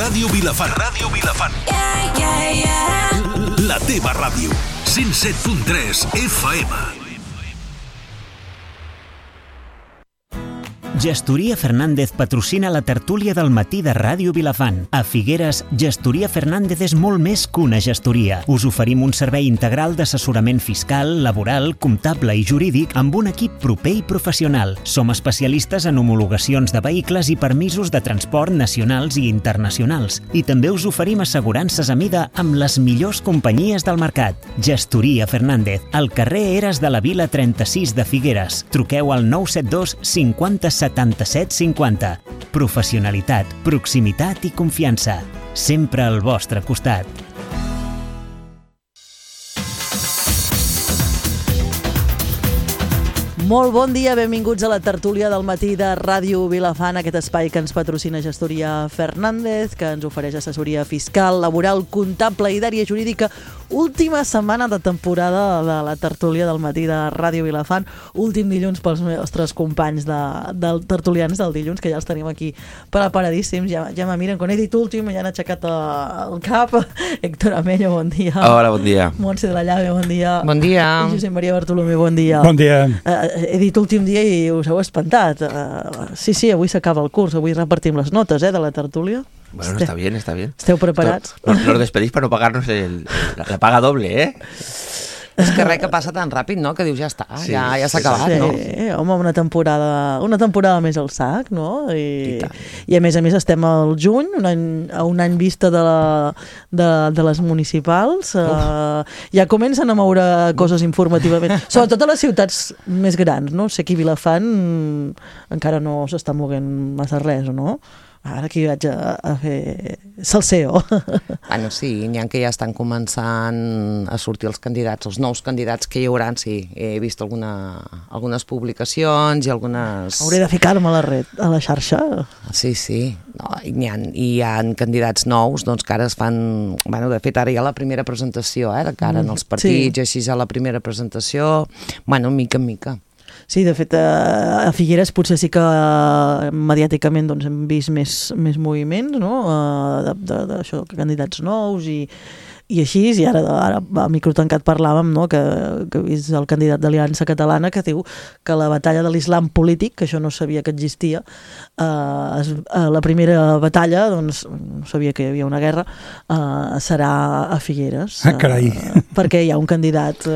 Ràdio Vilafant. Ràdio Vilafant. La teva ràdio. 107.3 FM. Gestoria Fernández patrocina la tertúlia del matí de Ràdio Vilafant. A Figueres, Gestoria Fernández és molt més que una gestoria. Us oferim un servei integral d'assessorament fiscal, laboral, comptable i jurídic amb un equip proper i professional. Som especialistes en homologacions de vehicles i permisos de transport nacionals i internacionals. I també us oferim assegurances a mida amb les millors companyies del mercat. Gestoria Fernández, al carrer Eres de la Vila 36 de Figueres. Truqueu al 972 50 77 50. Professionalitat, proximitat i confiança. Sempre al vostre costat. Molt bon dia, benvinguts a la tertúlia del matí de Ràdio Vilafant, aquest espai que ens patrocina Gestoria Fernández, que ens ofereix assessoria fiscal, laboral, comptable i d'àrea jurídica. Última setmana de temporada de la tertúlia del matí de Ràdio Vilafant. Últim dilluns pels nostres companys del tertulians del dilluns, que ja els tenim aquí preparadíssims. Ja me miren, quan he dit últim, ja han aixecat el cap. Héctor Amello, bon dia. Hola, bon dia. Montse de la Llave, bon dia. Bon dia. I Josep Maria Bartolomé, bon dia. Bon dia. He dit últim dia i us heu espantat. Sí, avui s'acaba el curs, avui repartim les notes de la tertúlia. Bueno, está bien, está bien. Esteu preparats? Nos despedís para no pagarnos la paga doble, ¿eh? És que res que passa tan ràpid, no? Que dius, ja està, sí, ja s'ha acabat, sí, no? Home, una temporada més al sac, no? I a més estem al juny, a un any vista de les municipals. Ja comencen a moure coses informativament, sobretot a les ciutats més grans, no? Sé que a Vilafant encara no s'està moguent massa res, no? Ara aquí vaig a fer salseo. Bueno, sí, n'hi ha que ja estan començant a sortir els candidats, els nous candidats que hi haurà, sí. He vist algunes publicacions i algunes... Hauré de ficar-me a la xarxa. Sí. No, hi ha candidats nous, doncs que ara es fan... Bueno, de fet, ara hi ha la primera presentació, de cara en els partits, sí. Així ja la primera presentació, bueno, mica en mica. Sí, de fet, a Figueres potser sí que mediàticament doncs, hem vist més moviments, no? D'això, candidats nous i així, i ara a micro tancat parlàvem, no? que he vist el candidat d'Aliança Catalana que diu que la batalla de l'islam polític, que això no sabia que existia, la primera batalla, doncs no sabia que hi havia una guerra, serà a Figueres. Carai. Perquè hi ha un candidat,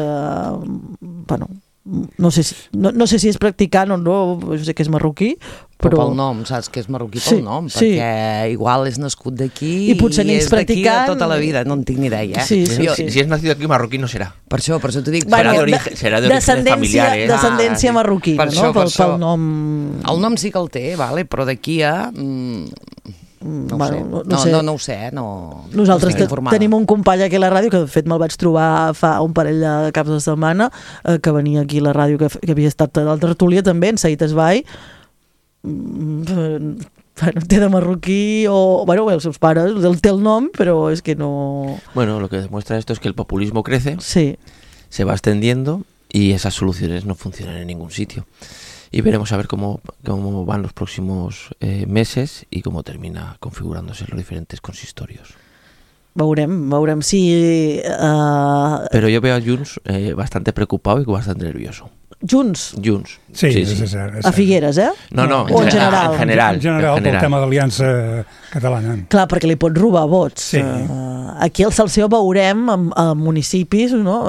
no sé si és practicant o no, jo sé que és marroquí, però pel nom, saps que és marroquí pel nom, perquè igual és nascut d'aquí i potser ni és practicant tota la vida, no en tinc ni idea. Si és nascut aquí, marroquí no serà. Per això t'ho dic. Serà d'orígenes familiares. Descendència marroquina, no? Pel nom. El nom sí que el té, però d'aquí a... No ho sé. Nosaltres tenim un company aquí a la ràdio que de fet me'l vaig trobar fa un parell de caps de setmana, que venia aquí a la ràdio, que havia estat a la tertúlia també, en Saït Esbai. Té de marroquí o... els seus pares, té el nom, però és que no... Bueno, lo que demuestra esto es que el populismo crece, sí. Se va extendiendo y esas soluciones no funcionan en ningún sitio. Y veremos a ver cómo van los próximos meses y cómo termina configurándose los diferentes consistorios. Veurem si... Pero yo veo a Junts bastante preocupado y bastante nervioso. Junts? Sí. A Figueres, No, o en general? En general, pel tema d'Aliança Catalana. Clar, perquè li pot robar vots. Sí. Aquí al Salseo veurem a municipis, no?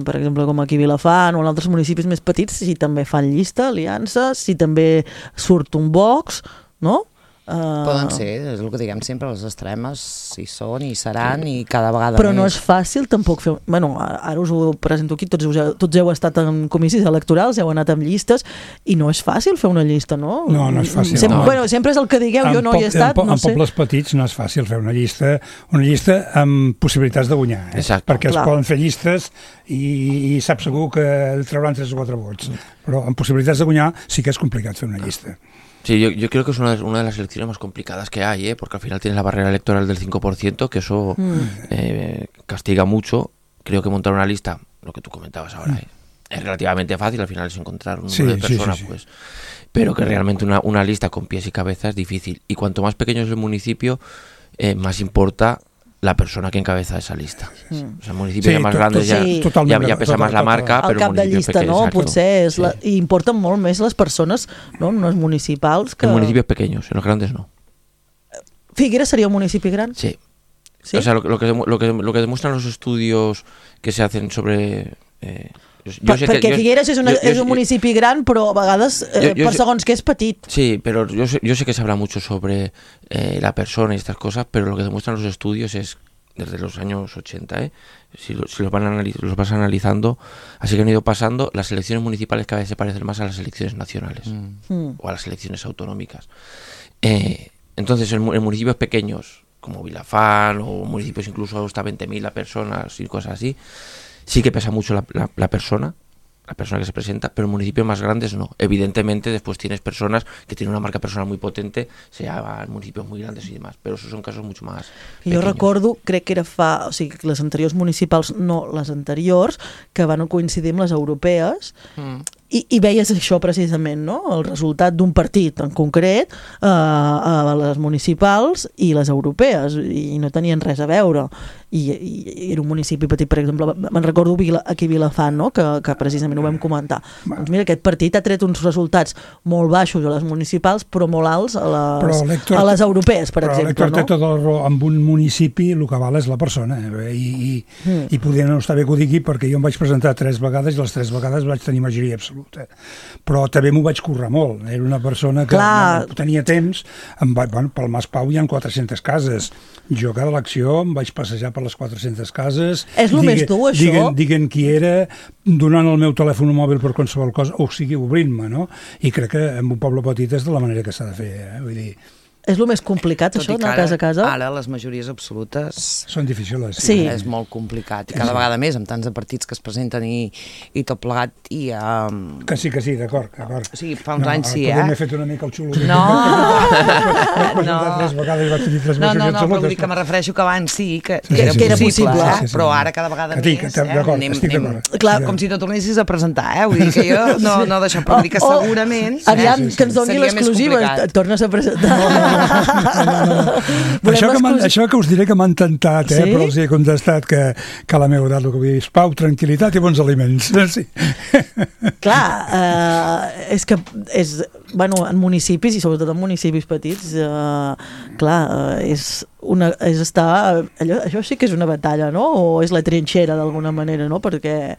Per exemple, com aquí a Vilafant o en altres municipis més petits, si també fan llista, aliança, si també surt un Vox, no? Poden ser, és el que diguem sempre, les extremes hi són, hi seran i cada vegada però més. No és fàcil tampoc fer... Ara us ho presento aquí, tots heu estat en comicis electorals, heu anat amb llistes i no és fàcil fer una llista, no? No és fàcil. Sempre és el que digueu, jo no hi he estat, no sé. En pobles petits no és fàcil fer una llista amb possibilitats de guanyar, perquè es poden fer llistes i sap segur que trauran 3 o 4 vots, però amb possibilitats de guanyar sí que és complicat fer una llista. Sí, yo creo que es una de las elecciones más complicadas que hay, porque al final tienes la barrera electoral del 5%, que eso castiga mucho. Creo que montar una lista, lo que tú comentabas ahora, es relativamente fácil, al final es encontrar un número de personas, pues, pero que realmente una lista con pies y cabeza es difícil. Y cuanto más pequeño es el municipio, más importa la persona que encabeza esa lista. O sea, municipis más grandes ja pesa més la marca, però el municipis pequeños... no? Potser importen molt més les persones, no? No els municipals que... En municipios pequeños, en los grandes no. ¿Figueras sería un municipio grande? Sí. ¿Sí? O sea, lo que demuestran los estudios que se hacen sobre... Perquè Figueres és un municipi gran, però a vegades per segons que és petit. Sí, pero yo sé que se habla mucho sobre la persona y estas cosas, pero lo que demuestran los estudios es, desde los años 80, si los vas analizando, así que han ido pasando, las elecciones municipales cada vez se parecen más a las elecciones nacionales o a las elecciones autonómicas. Entonces, en municipios pequeños, como Vilafán, o municipios incluso hasta 20.000 personas y cosas así, sí que pesa mucho la persona que se presenta, pero en municipios más grandes no. Evidentemente después tienes personas que tienen una marca personal muy potente, sea en municipios muy grandes y demás, pero esos son casos mucho más pequeños. Jo recordo, crec que era o sigui, les anteriors municipals, no les anteriors, que van coincidir amb les europees, i veies això precisament, no? El resultat d'un partit en concret a les municipals i les europees, i no tenien res a veure, i era un municipi petit, per exemple, me'n recordo aquí a Vilafant, no? Que precisament ho vam comentar. Doncs mira, aquest partit ha tret uns resultats molt baixos a les municipals, però molt alts a les europees, per exemple. Però l'Héctor té tota la raó, amb un municipi el que val és la persona, i podria no estar bé que ho digui, perquè jo em vaig presentar 3 vegades i les 3 vegades vaig tenir majoria absoluta. Però també m'ho vaig currar molt. Era una persona que tenia temps. Pel Mas Pau hi ha 400 cases. Jo cada elecció em vaig passejar per les 400 cases. És el més dur, això? Diguent qui era, donant el meu telèfon mòbil per qualsevol cosa, o sigui, obrint-me, no? I crec que en un poble petit és de la manera que s'ha de fer, Vull dir... És el més complicat, això, anar casa a casa? Ara les majories absolutes... Són difícils, sí. És molt complicat. I cada vegada més, amb tants de partits que es presenten i tot plegat, i... Que sí, d'acord. O sigui, fa uns anys sí, M'he fet una mica el xulo. No! Vaig presentar 3 vegades i vaig tenir 3 majories absolutes. No, però vull dir que me refereixo que abans sí, que era possible, però ara cada vegada més... D'acord, estic d'acord. Clar, com si no tornessis a presentar, Vull dir que jo no deixo, però vull dir que segurament... Aviam, que ens doni l'exclusiva, et tornes a presentar. Això que us diré que m'han tentat, però els he contestat que a la meva edat el que vull dir és pau, tranquil·litat i bons aliments. Sí. Clar, és que en municipis, i sobretot en municipis petits, és estar... Això sí que és una batalla, no? O és la trinxera d'alguna manera, no? Perquè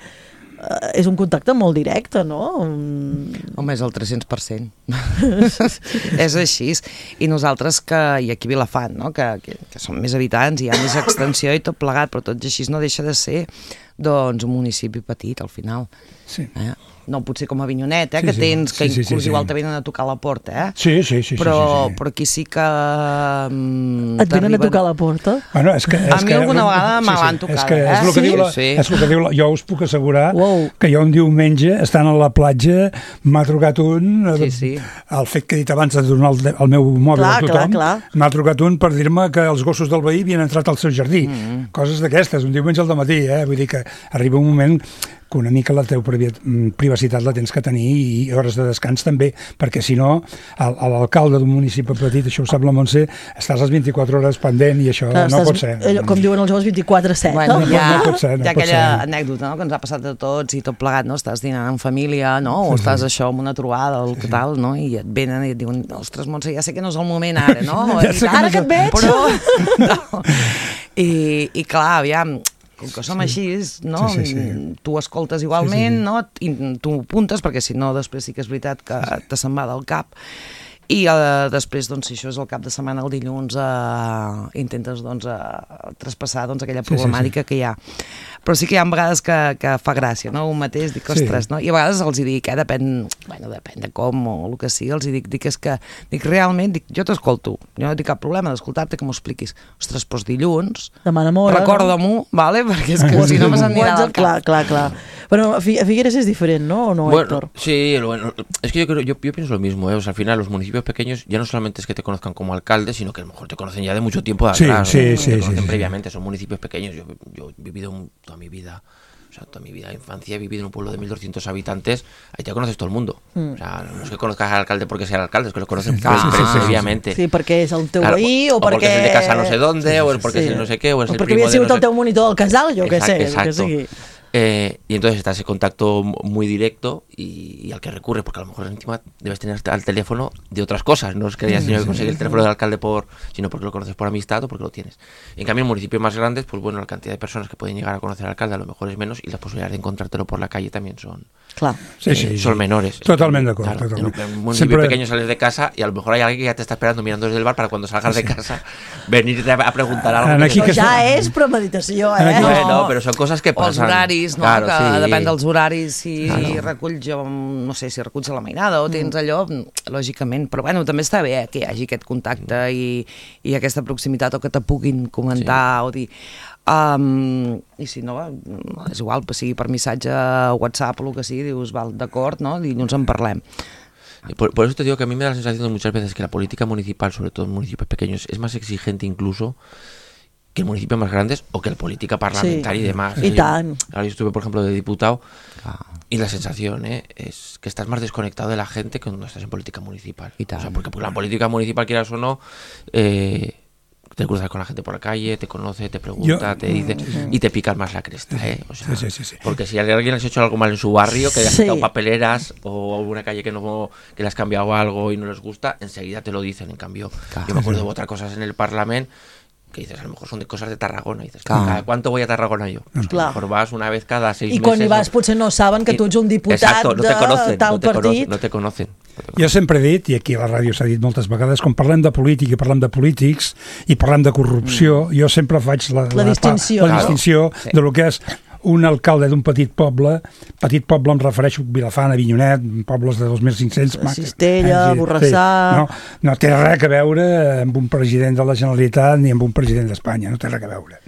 és un contacte molt directe, no? Home, és el 300%. És així. I nosaltres, i aquí a Vilafant, no? que som més habitants, hi ha més extensió i tot plegat, però tot i així no deixa de ser un municipi petit, al final. Sí. No potser com a Avinyonet, que tens, que inclús igual te venen a tocar la porta, Sí. Però aquí sí que... Et venen a tocar la porta? Bueno, a mi alguna vegada me l'han tocat, És el que diu, jo us puc assegurar que jo un diumenge, estant a la platja, m'ha trucat un, el fet que he dit abans de donar el meu mòbil a tothom, m'ha trucat un per dir-me que els gossos del veí havien entrat al seu jardí. Coses d'aquestes, un diumenge al dematí, Vull dir que arriba un moment que una mica la teva privacitat la tens que tenir i hores de descans també, perquè si no, l'alcalde d'un municipi petit, això ho sap la Montse, estàs les 24 hores pendent i això no pot ser. Com diuen els joves, 24/7. Bueno, hi ha aquella anècdota que ens ha passat a tots i tot plegat, estàs dinant en família, o estàs això amb una trobada, el tal, i et venen i et diuen, ostres, Montse, ja sé que no és el moment ara, no? Ara que et veig! I clar, aviam, com que som així, tu escoltes igualment, i tu apuntes, perquè si no després sí que és veritat que te se'n va del cap, i després, si això és el cap de setmana, el dilluns, intentes traspassar aquella problemàtica que hi ha. Però sí que hi ha vegades que fa gràcia, un mateix, dic, ostres, i a vegades els dic, depèn de com o el que sigui, els dic, és que, realment, jo t'escolto, jo no tinc cap problema d'escoltar-te, que m'ho expliquis. Ostres, doncs dilluns, recorda-m'ho, perquè és que si no me s'anirà del cap. Clar. Bueno, a Figueres es diferente, ¿no? ¿O no, Héctor? Sí, es que yo pienso lo mismo, O sea, al final los municipios pequeños ya no solamente es que te conozcan como alcalde, sino que a lo mejor te conocen ya de mucho tiempo de atrás. Te conocen previamente, son municipios pequeños. Yo he vivido toda mi vida O sea, toda mi vida de infancia he vivido en un pueblo de 1.200 habitantes, ahí ya conoces todo el mundo. O sea, no es que conozcas al alcalde porque sea el alcalde, es que lo conoces previamente. Sí, perquè és el teu veí o perquè... O perquè és el de casa no sé dónde, o perquè és el no sé què, o és el primo de... O perquè havia sigut el teu monitor del casal, jo què sé. Exacto. Y entonces está ese contacto muy directo y al que recurre, porque a lo mejor encima debes tener al teléfono de otras cosas, no es que hayas tenido que conseguir el teléfono del alcalde sino porque lo conoces por amistad o porque lo tienes. En cambio, en municipios más grandes, pues bueno, la cantidad de personas que pueden llegar a conocer al alcalde a lo mejor es menos y las posibilidades de encontrártelo por la calle también son menores. Totalmente de acuerdo. Claro, en un municipio pequeño sales de casa y a lo mejor hay alguien que ya te está esperando mirando desde el bar para cuando salgas de casa venirte a preguntar algo. Ja és premeditació, Bueno, però són coses que passen. Els horaris, no? Claro, que depèn dels horaris, si reculls, no sé, si reculls a la mainada o tens allò, lògicament. Però bueno, també està bé que hi hagi aquest contacte i aquesta proximitat o que te puguin comentar o dir... I si no, és igual, sigui per missatge, WhatsApp o el que sigui, dius, val, d'acord, no? I ens en parlem. Por eso te digo que a mí me da la sensación muchas veces que la política municipal, sobre todo en municipios pequeños, es más exigente incluso que en municipios más grandes o que la política parlamentaria y demás. Y tan. Ahora yo estuve, por ejemplo, de diputado y la sensación es que estás más desconectado de la gente que cuando estás en política municipal. O sea, porque la política municipal, quieras o no, te cruzas con la gente por la calle, te conoce, te pregunta, te dice y te picas más la cresta, O sea, sí. Porque si alguien has hecho algo mal en su barrio, que le has quitado papeleras o una calle que le has cambiado algo y no les gusta, enseguida te lo dicen. En cambio, yo me acuerdo de otras cosas en el Parlamento que dices, a lo mejor son de cosas de Tarragona, y dices, ¿cada cuánto voy a Tarragona yo? Pues a lo mejor vas una vez cada 6 meses. I quan hi vas potser no saben que tu ets un diputat de tal partit. No te conocen. Jo sempre he dit, i aquí a la ràdio s'ha dit moltes vegades, quan parlem de política i parlem de polítics i parlem de corrupció, jo sempre faig la distinció de lo que és un alcalde d'un petit poble em refereixo a Vilafant, a Avinyonet, pobles de 2.500... Cistella, Borrassà... No té res a veure amb un president de la Generalitat ni amb un president d'Espanya, no té res a veure.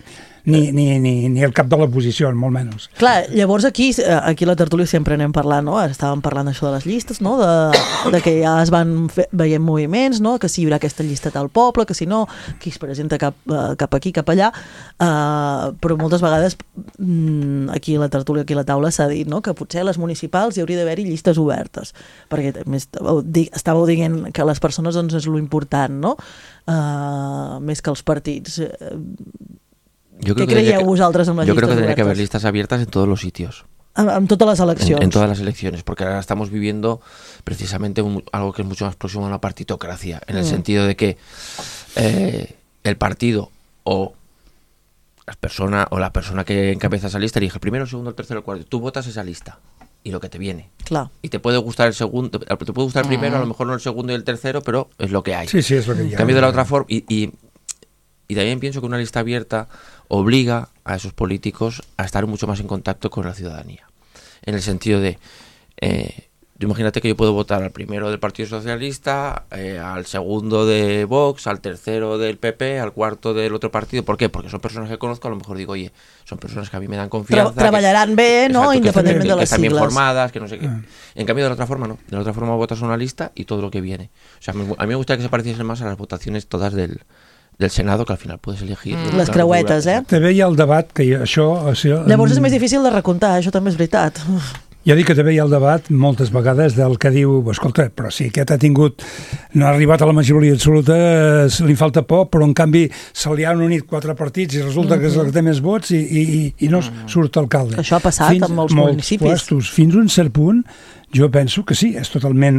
Ni el cap de l'oposició, molt menys. Clar, llavors aquí a la tertúlia sempre anem parlant, no? Estàvem parlant això de les llistes, no? De que ja es van veient moviments, no? Que si hi haurà aquesta llista tal poble, que si no, qui es presenta cap aquí, cap allà, però moltes vegades aquí a la tertúlia, aquí a la taula s'ha dit, no? Que potser a les municipals hi hauria d'haver-hi llistes obertes, perquè estàveu dient que les persones doncs, és lo important, no? Més que els partits. ¿Qué creíais vosotros en las listas? Yo creo que tendría que haber listas abiertas en todos los sitios. En todas las elecciones. En todas las elecciones, porque ahora estamos viviendo precisamente algo que es mucho más próximo a una partitocracia, en el sentido de que el partido o la persona que encabeza esa lista elige el primero, el segundo, el tercero, el cuarto. Tú votas esa lista y lo que te viene. Claro. Y te puede gustar el segundo, te puede gustar el primero, a lo mejor no el segundo y el tercero, pero es lo que hay. Sí, es lo que hay. En cambio de la otra forma, y también pienso que una lista abierta obliga a esos políticos a estar mucho más en contacto con la ciudadanía. En el sentido de, imagínate que yo puedo votar al primero del Partido Socialista, al segundo de Vox, al tercero del PP, al cuarto del otro partido. ¿Por qué? Porque son personas que conozco, a lo mejor digo, oye, son personas que a mí me dan confianza. Treballarán bé, ¿no? Independientemente de las siglas. Que están bien formadas, que no sé qué. En cambio, de la otra forma, no. De la otra forma votas una lista y todo lo que viene. O sea, a mí me gustaría que se pareciesen más a las votaciones todas del Senado, que al final puedes elegir... Les creuetes, També hi ha el debat que això... Llavors és més difícil de recomptar, això també és veritat. Jo dic que també hi ha el debat moltes vegades del que diu, escolta, però si aquest no ha arribat a la majoria absoluta, li falta poc, però en canvi se li han unit 4 partits i resulta que és el que té més vots i no surt alcalde. Això ha passat en molts municipis. Fins a un cert punt, jo penso que sí, és totalment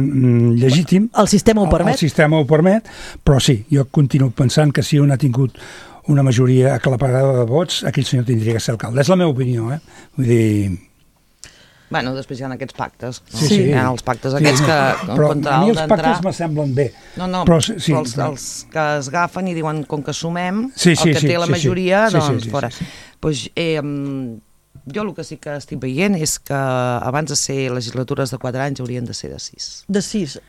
legítim. El sistema ho permet. El sistema ho permet, però sí, jo continuo pensant que si un ha tingut una majoria aclaparada de vots, aquell senyor tindria que ser alcalde. És la meva opinió, Vull dir... Bueno, després hi ha aquests pactes. No? Sí. Hi ha els pactes aquests que però a mi els pactes m'assemblen bé. Però els que es agafen i diuen com que sumem, el que té la majoria, doncs fora. Jo el que sí que estic veient és que abans de ser legislatures de 4 anys haurien de ser de 6. De 6?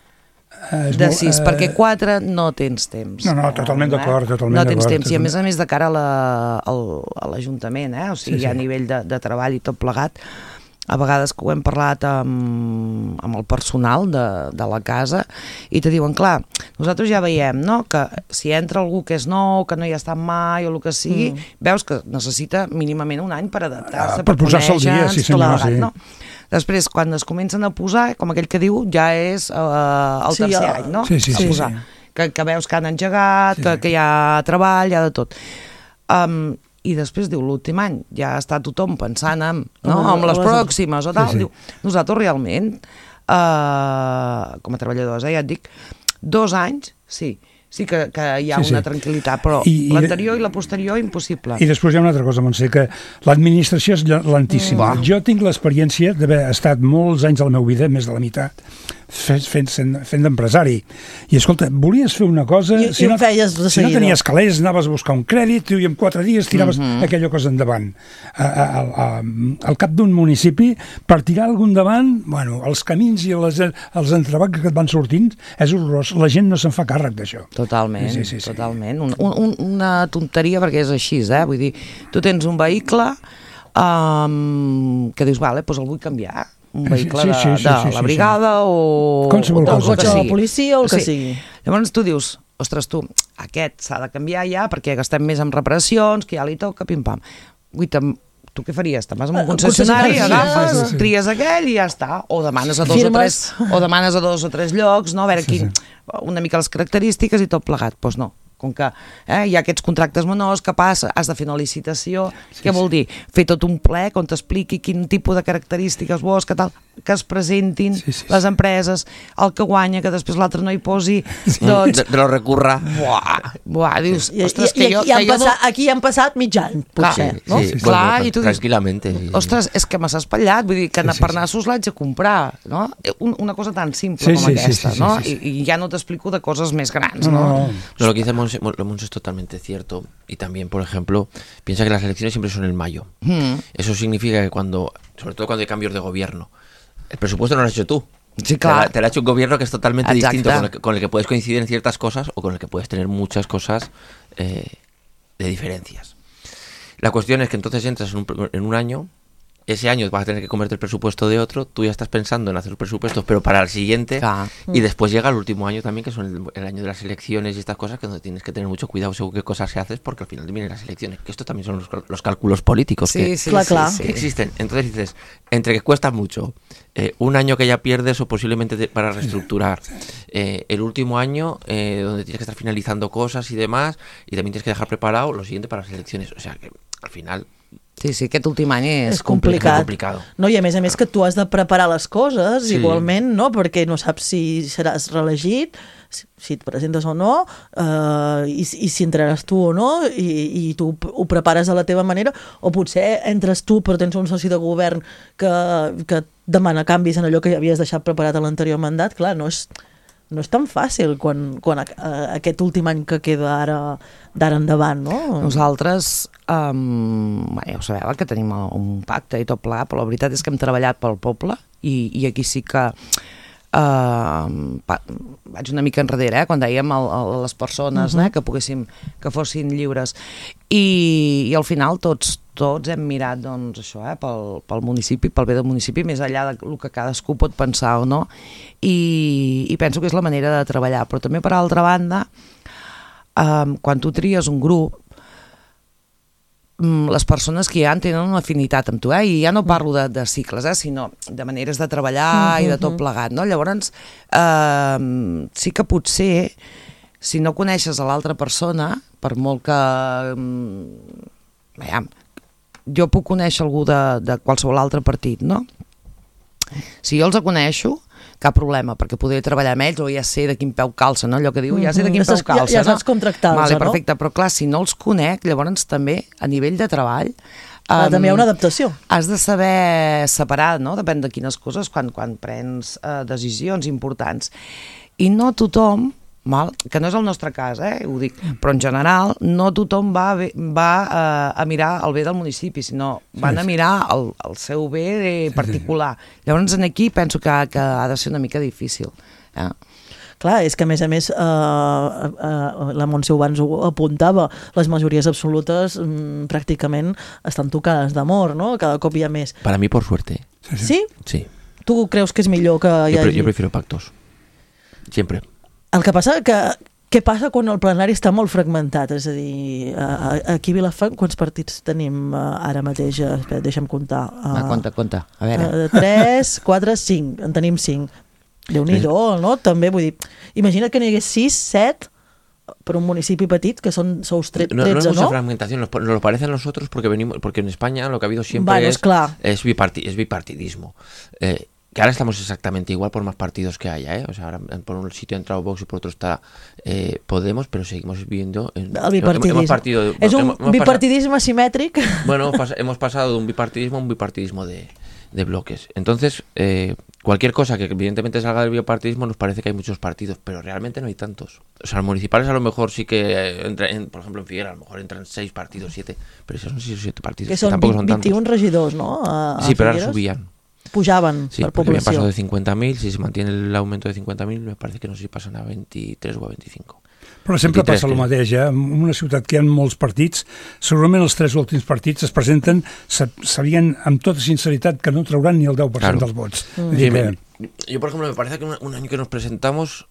De 6, perquè 4 no tens temps. No, totalment d'acord. No tens temps, i a més de cara a l'Ajuntament, o sigui, a nivell de treball i tot plegat, a vegades que ho hem parlat amb el personal de la casa i te diuen, clar, nosaltres ja veiem, no?, que si entra algú que és nou, que no hi ha estat mai o el que sigui, veus que necessita mínimament un any per adaptar-se, per posar-se al dia, sí senyor, sí. No? Després, quan es comencen a posar, com aquell que diu, ja és el tercer any, no? Sí. Que veus que han engegat, que hi ha treball, hi ha de tot. I després diu, l'últim any ja està tothom pensant en les pròximes o tal, diu, nosaltres realment com a treballadors, ja et dic, 2 anys, sí que hi ha una tranquil·litat, però l'anterior i la posterior impossible. I després hi ha una altra cosa, Montse, que l'administració és lentíssima. Jo tinc l'experiència d'haver estat molts anys de la meva vida, més de la meitat, fent d'empresari. I escolta, volies fer una cosa... Si no tenies calés, anaves a buscar un crèdit i en 4 dies tiraves aquella cosa endavant. Al cap d'un municipi, per tirar algú endavant, els camins i els entrebancs que et van sortint, és horrorós. La gent no se'n fa càrrec d'això. Totalment, totalment. Una tonteria perquè és així, vull dir, tu tens un vehicle que dius, vale, doncs el vull canviar, un vehicle de la brigada o el cotxe de la policia o el que sigui. Llavors tu dius, ostres, aquest s'ha de canviar ja perquè gastem més en reparacions, que ja li toca, pim-pam. Tu què faries? Te'n vas a un concessionari, agafes, tries aquell i ja està. O demanes a 2 o 3 llocs, no? A veure una mica les característiques i tot plegat. Doncs no. Com que hi ha aquests contractes menors, que passa, has de fer una licitació, què vol dir? Fer tot un ple on t'expliqui quin tipus de característiques vols, que es presentin les empreses, el que guanya, que després l'altre no hi posi, doncs... De lo recurra. Buah, dius, ostres, que jo... Aquí han passat mig any, potser, no? Clar, i tu dius, tranquil·lament. ostres, és que me s'ha espatllat, vull dir, que per nassos l'haig de comprar, no? Una cosa tan simple com aquesta, no? I ja no t'explico de coses més grans, no? No, lo que dice Monse es totalmente cierto. Y también, por ejemplo, piensa que las elecciones siempre son en mayo. Eso significa que sobre todo cuando hay cambios de gobierno, el presupuesto no lo has hecho tú. Sí, claro. Te lo ha hecho un gobierno que es totalmente distinto, con el que puedes coincidir en ciertas cosas o con el que puedes tener muchas cosas de diferencias. La cuestión es que entonces entras en un año, ese año vas a tener que comerte el presupuesto de otro, tú ya estás pensando en hacer los presupuestos, pero para el siguiente, y después llega el último año también, que son el año de las elecciones y estas cosas, que donde tienes que tener mucho cuidado según qué cosas se haces, porque al final vienen las elecciones, que esto también son los cálculos políticos que existen. Entonces dices, entre que cuesta mucho, un año que ya pierdes o posiblemente para reestructurar, el último año donde tienes que estar finalizando cosas y demás, y también tienes que dejar preparado lo siguiente para las elecciones, o sea que al final... Sí, aquest últim any és complicat. No, i a més que tu has de preparar les coses igualment, no? Perquè no saps si seràs reelegit, si et presentes o no, i si entraràs tu o no, i tu ho prepares a la teva manera, o potser entres tu però tens un soci de govern que demana canvis en allò que ja havies deixat preparat a l'anterior mandat. Clar, no és tan fàcil quan aquest últim any que queda d'ara endavant, no? Nosaltres, ja ho sabeu, que tenim un pacte i tot plegat, però la veritat és que hem treballat pel poble i aquí sí que vaig una mica enrere, quan dèiem a les persones que fossin lliures, i al final tots hem mirat això, pel municipi, pel bé del municipi, més enllà del que cadascú pot pensar o no, i penso que és la manera de treballar. Però també, per altra banda, quan tu tries un grup, les persones que ja tenen una afinitat amb tu, i ja no parlo de cicles, sinó de maneres de treballar i de tot plegat, no? Llavors, sí que potser, si no coneixes a l'altra persona, per molt que... jo puc conèixer algú de qualsevol altre partit, no? Si jo els coneixo, cap problema, perquè podré treballar amb ells o ja sé de quin peu calça, no? Allò que diu, ja sé de quin peu calça, ja saps com tractar-los, no? Perfecte, però clar, si no els conec, llavors també, a nivell de treball... també hi ha una adaptació. Has de saber separar, no? Depèn de quines coses, quan prens decisions importants. I no tothom, que no és el nostre cas, ho dic, però en general no tothom va a mirar el bé del municipi, sinó van a mirar el seu bé particular. Llavors aquí penso que ha de ser una mica difícil. Clar, és que a més la Montse abans ho apuntava, les majories absolutes pràcticament estan tocades de mort, no? Cada cop hi ha més. Para mí, por suerte. ¿Sí? Sí. ¿Tú creus que és millor que hi hagi? Yo prefiero pactos. Siempre. El que passa que què passa quan el plenari està molt fragmentat? És a dir, aquí a Vilafant quants partits tenim ara mateix? Espera, deixa'm comptar. Compta. A veure. 3, 4, 5. En tenim 5. Déu-n'hi-do, no? També, vull dir, imagina't que n'hi hagués 6, 7 per un municipi petit, que sous 13, ¿no? No es mucha fragmentación, nos lo parece a nosotros porque en España lo que ha habido siempre es bipartidismo. Que ahora estamos exactamente igual por más partidos que haya, ¿eh? O sea, ahora por un sitio ha entrado Vox y por otro está Podemos, pero seguimos viviendo en el bipartidismo. Es un bipartidismo asimètric. Bueno, hemos pasado de un bipartidismo a un bipartidismo de bloques. Entonces, cualquier cosa que evidentemente salga del bipartidismo nos parece que hay muchos partidos, pero realmente no hay tantos. O sea, los municipales a lo mejor sí que, por ejemplo en Figueras, a lo mejor entran 6 partidos, 7, pero esos son 6 o 7 partidos. Que son tampoco son 21 tantos. regidors, ¿no? Sí, pero ahora subían. Pujaven sí, per població. Sí, pasado de 50.000, si se mantiene el aumento de 50.000, me parece que no sé si passen a 23 o a 25. Però sempre 23, passa el mateix, En una ciutat que hi ha molts partits, segurament els 3 últims partits es presenten, sabien amb tota sinceritat que no trauran ni el 10% dels vots. Sí, yo, por ejemplo, me parece que un año que nos presentamos,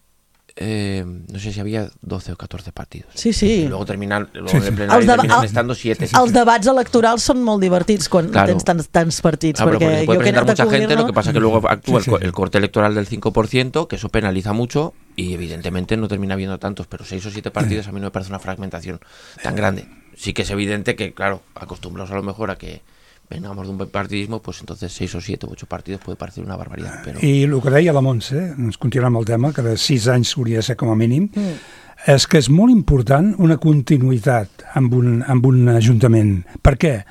no sé si había 12 o 14 partidos. Sí. Y luego terminan el plenario terminan estando 7. Els debats electorals són molt divertits quan tens tants partits. Porque se puede presentar mucha gente, lo que pasa es que luego actúa el corte electoral del 5%, que eso penaliza mucho y evidentemente no termina habiendo tantos, pero 6 o 7 partidos a mí no me parece una fragmentación tan grande. Sí que es evidente que, claro, acostumbrados a lo mejor a que vengamos de un bipartidismo, pues entonces 6 o 7 o 8 partidos puede parecer una barbaridad. Pero... I el que deia la Montse, ens continuem el tema, que de 6 anys hauria de ser com a mínim, és que és molt important una continuïtat amb un ajuntament. Per què?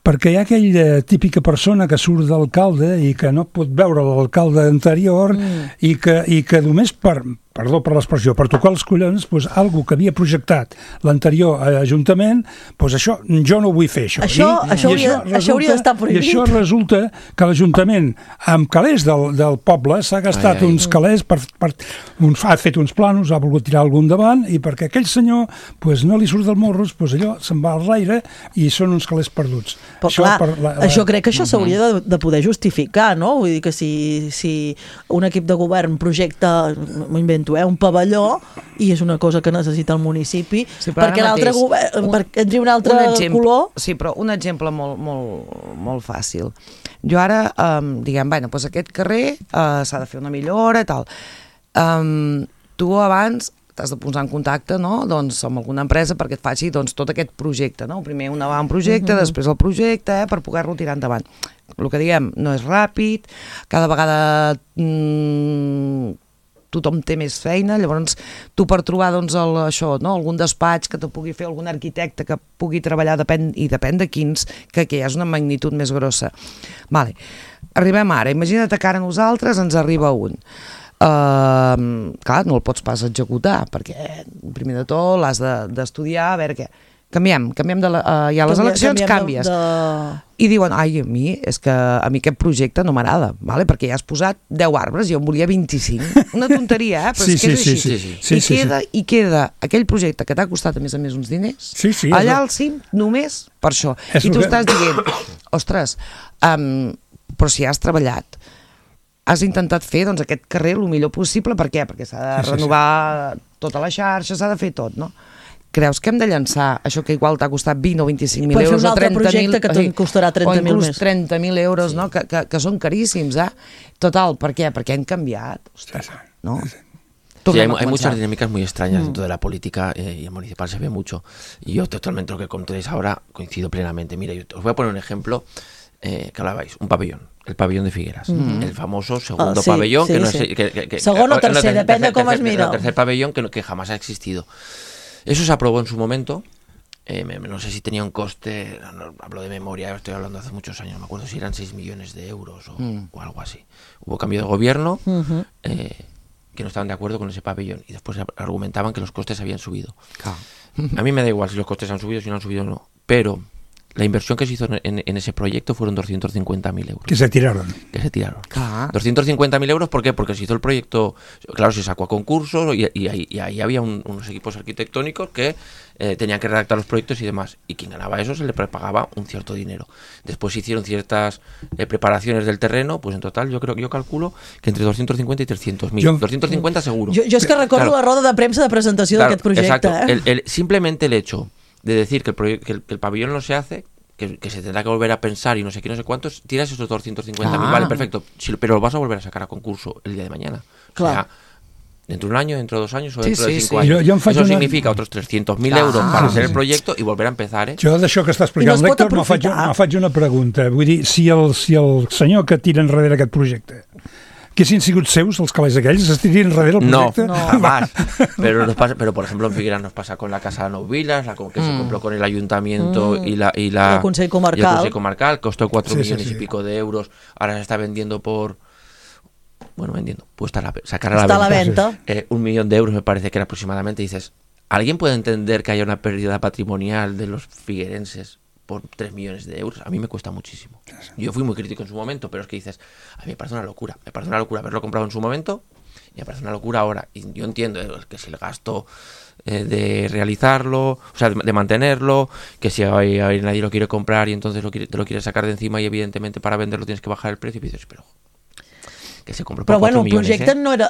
Perquè hi ha aquella típica persona que surt d'alcalde i que no pot veure l'alcalde anterior i que només perdó per l'expressió, per tocar els collons, doncs, algú que havia projectat l'anterior ajuntament, doncs això, jo no vull fer això. Això hauria d'estar prohibit. I això resulta que l'Ajuntament, amb calés del poble, s'ha gastat uns calés, ha fet uns planos, ha volgut tirar algun davant, i perquè aquell senyor doncs, no li surt del morros, doncs allò se'n va al l'aire i són uns calés perduts. Però clar, això crec que això s'hauria de poder justificar, no? Vull dir que si un equip de govern projecta, m'ho invento, un pavelló, i és una cosa que necessita el municipi, perquè l'altre govern, perquè entri un altre color... Sí, però un exemple molt fàcil. Jo ara, diguem, doncs aquest carrer s'ha de fer una millora i tal. Tu abans t'has de posar en contacte, no? Doncs amb alguna empresa perquè et faci tot aquest projecte, no? Primer un avantprojecte, després el projecte, per poder-lo tirar endavant. El que diguem, no és ràpid, cada vegada tothom té més feina, llavors tu per trobar algun despatx que te pugui fer, algun arquitecte que pugui treballar, depèn de quins, que és una magnitud més grossa. Vale. Arribem ara, imagina't que ara nosaltres ens arriba un. Clar, no el pots pas executar, perquè primer de tot l'has d'estudiar, a veure què. Canviem ja les eleccions, canvies. I diuen, a mi aquest projecte no m'agrada, perquè ja has posat 10 arbres, jo en volia 25. Una tonteria, però és que és així. I queda aquell projecte que t'ha costat, a més uns diners, allà al cim, només per això. I tu estàs dient, ostres, però si has treballat, has intentat fer aquest carrer el millor possible, per què? Perquè s'ha de renovar tota la xarxa, s'ha de fer tot, no? Creus que hem de llançar això que igual t'ha costat 20 o 25.000 euros o 30.000... Per fer un altre projecte que te'n costarà 30.000 més. O inclús 30.000 euros, no? Que són caríssims, Total, ¿por qué? Porque han cambiado. Ostras, ¿no? Sí, hay muchas dinámicas muy extrañas dentro de la política y el municipal se ve mucho. Y yo totalmente lo que contéis ahora coincido plenamente. Mira, yo os voy a poner un ejemplo que hablabais, un pabellón. El pabellón de Figueras, el famoso segundo pabellón. Segundo o tercer, depende de cómo es mira. El tercer pabellón que jamás ha existido. Eso se aprobó en su momento, no sé si tenía un coste, no, hablo de memoria, estoy hablando hace muchos años, no me acuerdo si eran 6 millones de euros o algo así. Hubo cambio de gobierno, que no estaban de acuerdo con ese pabellón y después argumentaban que los costes habían subido. A mí me da igual si los costes han subido, si no han subido o no, pero la inversión que se hizo en ese proyecto fueron 250.000 euros. Que se tiraron. Clar. 250.000 euros, ¿por qué? Porque se hizo el proyecto, claro, se sacó a concurso y ahí había unos equipos arquitectónicos que tenían que redactar los proyectos y demás. Y quien ganaba eso se le prepagaba un cierto dinero. Después se hicieron ciertas preparaciones del terreno, pues en total yo calculo que entre 250 y 300.000. 250 seguro. Jo és que recordo la roda de premsa de presentació d'aquest projecte. Exacto. Simplemente el hecho de decir que el pabellón no se hace, que se tendrá que volver a pensar y no sé qué, no sé cuántos, tiras esos 250.000, vale, perfecto, pero lo vas a volver a sacar a concurso el día de mañana. Clar. O sea, dentro de un año, dentro de 2 años o dentro de 5 años. Eso significa otros 300.000 euros para hacer el proyecto i volver a empezar, Jo d'això que està explicant l'Héctor me faig una pregunta. Vull dir, si el senyor que tira enrere aquest projecte que haguessin sigut seus, els calés aquells, es tirien enrere el projecte? No, jamás. Pero por ejemplo en Figueras nos pasa con la Casa de Nou Vilas, que se compró con el ayuntamiento y el Consell Comarcal, costó 4 millones y pico de euros, ahora se está vendiendo por... Bueno, pues sacar a la venta. 1 millón de euros me parece que era aproximadamente. Dices, ¿alguien puede entender que haya una pérdida patrimonial de los figuerenses por 3 millones de euros? A mí me cuesta muchísimo. Yo fui muy crítico en su momento, pero es que dices, a mí me parece una locura. Me parece una locura haberlo comprado en su momento y me parece una locura ahora. Y yo entiendo que si el gasto de realizarlo, o sea, de mantenerlo, que si nadie lo quiere comprar y entonces te lo quiere sacar de encima y evidentemente para venderlo tienes que bajar el precio y dices, pero... que se compró per 4 milions. El projecte no era,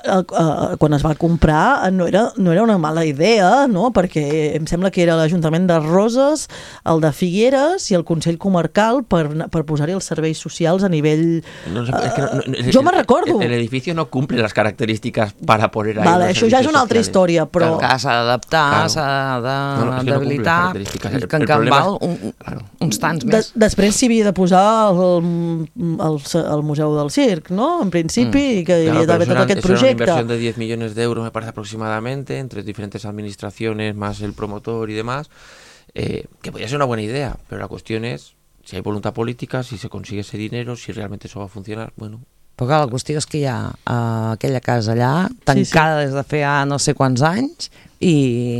quan es va comprar no era una mala idea, no? Perquè em sembla que era l'Ajuntament de Roses, el de Figueres i el Consell Comarcal per posar-hi els serveis socials a nivell... Jo me'n recordo. El edificio no cumple las características para poner ahí los servicios això ja és una altra història, però... Que s'ha d'adaptar, s'ha d'habilitar, que en canvi val uns tants més. Després s'hi havia de posar el Museu del Circ, no? En principi, y que debía haber todo aquest projecte. Era una inversión de 10 millones de euros, me parece aproximadamente, entre diferentes administraciones, más el promotor y demás, que podría ser una buena idea, pero la cuestión es si hay voluntad política, si se consigue ese dinero, si realmente eso va a funcionar, bueno... Però clar, la qüestió és que hi ha aquella casa allà, tancada des de fa no sé quants anys, i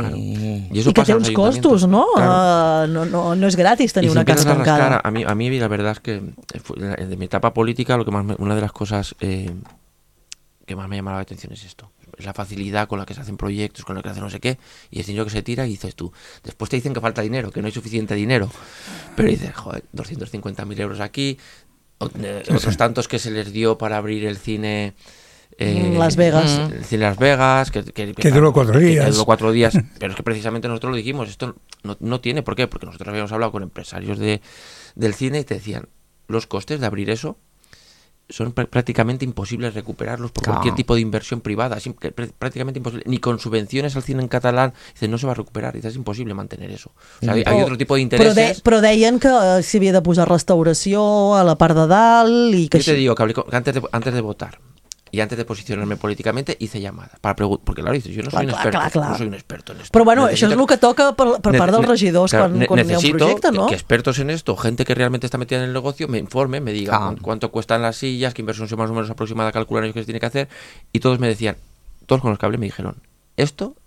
que té uns costos, ¿no? No es gratis tenir una casa tancada. A mí la verdad es que de mi etapa política una de las cosas que más me llama la atención es esto. Es la facilidad con la que se hacen proyectos, con la que se hace no sé qué, y es dinero que se tira y dices tú, después te dicen que falta dinero, que no hay suficiente dinero, pero dices, joder, 250.000 euros aquí, otros tantos que se les dio para abrir el cine... Las Vegas. El cine Las Vegas, que duró 4 días. Que duró 4 días, pero es que precisamente nosotros lo dijimos, esto no tiene por qué, porque nosotros habíamos hablado con empresarios del cine y te decían, los costes de abrir eso son prácticamente imposibles recuperarlos por cualquier tipo de inversión privada, prácticamente imposible, ni con subvenciones al cine en catalán, dices, no se va a recuperar, dices, es imposible mantener eso. O sea, hay otro tipo de intereses. Però deien que s'hi havia de posar restauració a la part de dalt i que... Yo te digo que antes de votar y antes de posicionarme políticamente hice llamadas porque claro, dices, yo no soy un experto, no soy un experto en esto. Però bueno, això és el que toca per part dels regidors quan hi ha un projecte, ¿no? Que expertos en esto, gente que realmente está metida en el negocio, me informe, me diga cuánto cuestan las sillas, qué inversión más o menos aproximada calculan ellos que se tiene que hacer, y todos me decían, todos con los que hablé me dijeron, esto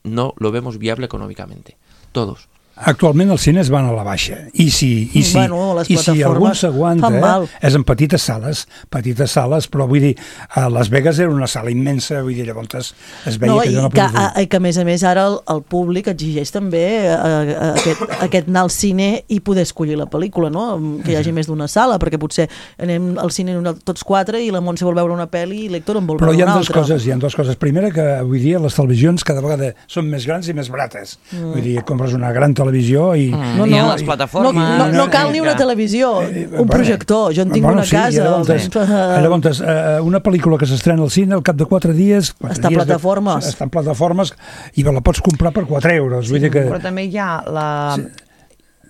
no lo vemos viable económicamente, todos. Actualment els cines van a la baixa i si algun s'aguanta és en petites sales, però vull dir, a Las Vegas era una sala immensa, vull dir, llavors es veia que no podia fer. I que a més ara el públic exigeix també aquest anar al cine i poder escollir la pel·lícula, no? Que hi hagi més d'una sala, perquè potser anem al cine tots 4 i la Montse vol veure una pel·li i l'Héctor en vol veure una altra. Però hi ha dues coses. Primera, que avui dia les televisions cada vegada són més grans i més barates. Vull dir, compres una gran televisió i... les plataformes... No cal ni una televisió, un projector. Jo en tinc una casa. Llavors, una pel·lícula que s'estrena al cine, al cap de 4 dies... Està en plataformes i la pots comprar per 4 euros. Però també hi ha la...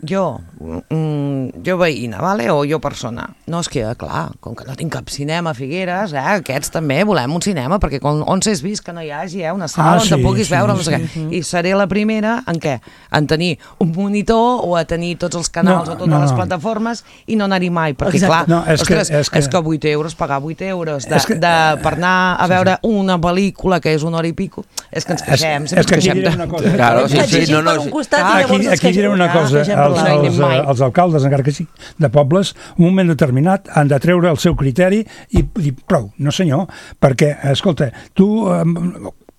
Jo veïna, vale? O jo persona. No, és que, clar, com que no tinc cap cinema a Figueres, aquests també volem un cinema, perquè on s'has vist que no hi hagi una sala on te puguis veure, no sé què. I seré la primera en què? En tenir un monitor o a tenir tots els canals o totes les plataformes i no anar-hi mai, perquè clar, ostres, és que 8 euros, pagar 8 euros per anar a veure una pel·lícula que és 1 hora i pico, és que ens queixem, sempre ens queixem. Aquí diré una cosa. els alcaldes, encara que sí, de pobles, en un moment determinat han de treure el seu criteri i dir, prou, no senyor, perquè, escolta, tu...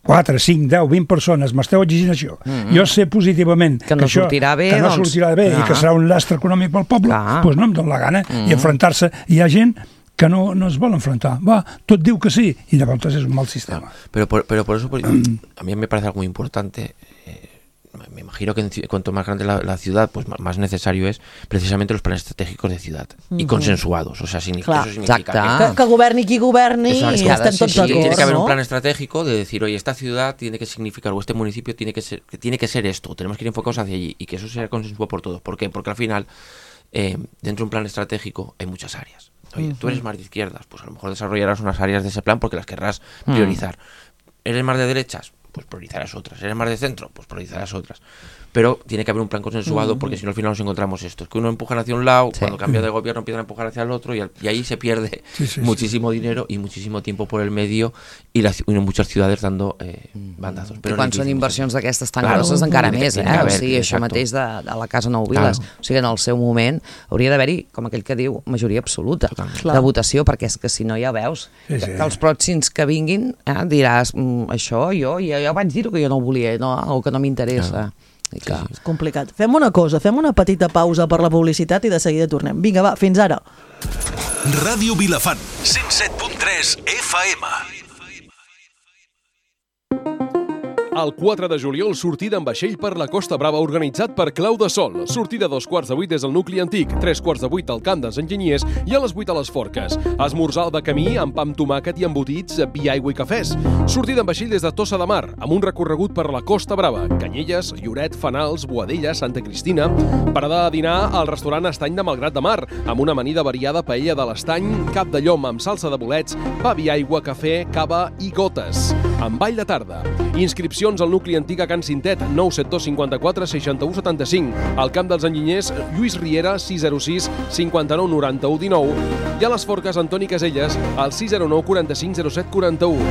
4, 5, 10, 20 persones m'esteu exigint això. Jo sé positivament que no sortirà bé, i que serà un lastre econòmic pel poble, doncs no em dóna la gana. I enfrontar-se, hi ha gent que no es vol enfrontar. Va, tot diu que sí, y de pronto es un mal sistema. Pero por eso a mí me parece algo muy importante. Me imagino que cuanto más grande la ciudad, pues más necesario es precisamente los planes estratégicos de ciudad y consensuados. O sea, eso significa que governi qui governi y estem tots d'acord. Tiene que haber un plan estratégico de decir, oye, esta ciudad tiene que significar, o este municipio tiene que ser esto, tenemos que ir enfocados hacia allí y que eso sea consensuado por todos. ¿Por qué? Porque al final, dentro de un plan estratégico hay muchas áreas. Oye, tú eres más de izquierdas, pues a lo mejor desarrollarás unas áreas de ese plan porque las querrás priorizar. ¿Eres más de derechas? Pues priorizarás otras. ¿Eres más de centro? Pues priorizarás otras. Pero tiene que haber un plan consensuado porque si no al final nos encontramos esto. Es que uno empuja hacia un lado, cuando cambia de gobierno empiezan a empujar hacia el otro y ahí se pierde muchísimo dinero y muchísimo tiempo por el medio y muchas ciudades dando bandazos. Però quan són inversions d'aquestes tan grosses encara més, o sigui, això mateix de la Casa Nou Viles. O sigui, en el seu moment hauria d'haver-hi, com aquell que diu, majoria absoluta de votació, perquè és que si no ja veus que els pròxims que vinguin diràs, això jo vaig dir que jo no ho volia o que no m'interessa. És complicat. Fem una cosa, fem una petita pausa per la publicitat i de seguida tornem. Vinga, va, fins ara. Ràdio Vilafant, 107.3 FM. El 4 de juliol, sortida amb vaixell per la Costa Brava organitzat per Clau de Sol. Sortida a 7:15 des del nucli antic, 7:45 al camp dels enginyers i a les 8 a les Forques. Esmorzar al de camí amb pa amb tomàquet i embotits, vi, aigua i cafès. Sortida amb vaixell des de Tossa de Mar, amb un recorregut per la Costa Brava, Canyelles, Lloret, Fanals, Boadella, Santa Cristina. Parada a dinar al restaurant Estany de Malgrat de Mar, amb una amanida variada paella de l'Estany, cap de llom amb salsa de bolets, pa, vi, aigua, cafè, cava i gotes. Amb ball de tarda. Inscripcions al nucli antic a Can Cintet, 972 54 61 75. Al camp dels enginyers, Lluís Riera, 606 59 91 19. I a les Forques, Antoni Caselles, al 609 45 07 41.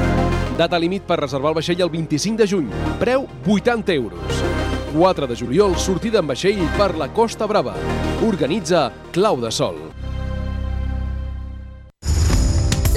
Data límit per reservar el vaixell el 25 de juny. Preu 80 euros. 4 de juliol, sortida amb vaixell per la Costa Brava. Organitza Clau de Sol.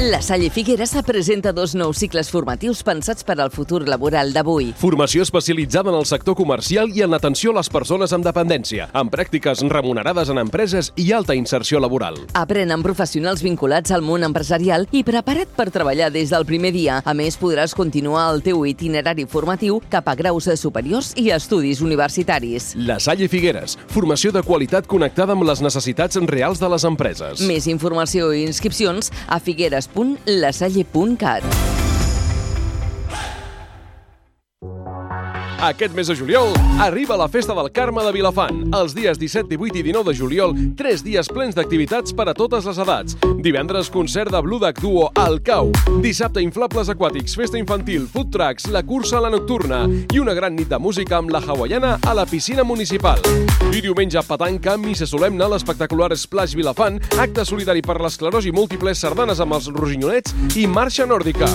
La Salle Figueres presenta 2 nous cicles formatius pensats per al futur laboral d'avui. Formació especialitzada en el sector comercial i en l'atenció a les persones amb dependència, amb pràctiques remunerades en empreses i alta inserció laboral. Aprèn amb professionals vinculats al món empresarial i preparat per treballar des del primer dia. A més, podràs continuar el teu itinerari formatiu cap a graus superiors i estudis universitaris. La Salle Figueres, formació de qualitat connectada amb les necessitats reals de les empreses. Més informació i inscripcions a figueres.lasalle.cat. Aquest mes de juliol arriba la Festa del Carme de Vilafant. Els dies 17, 18 i 19 de juliol, 3 dies plens d'activitats per a totes les edats. Divendres, concert de Blue Duck Duo al Cau. Dissabte, inflables aquàtics, festa infantil, food trucks, la cursa a la nocturna i una gran nit de música amb la hawaiana a la piscina municipal. I diumenge, petanca, missa solemne, l'espectacular Splash Vilafant, acte solidari per l'esclerosi múltiple, sardanes amb els rossinyolets i marxa nòrdica.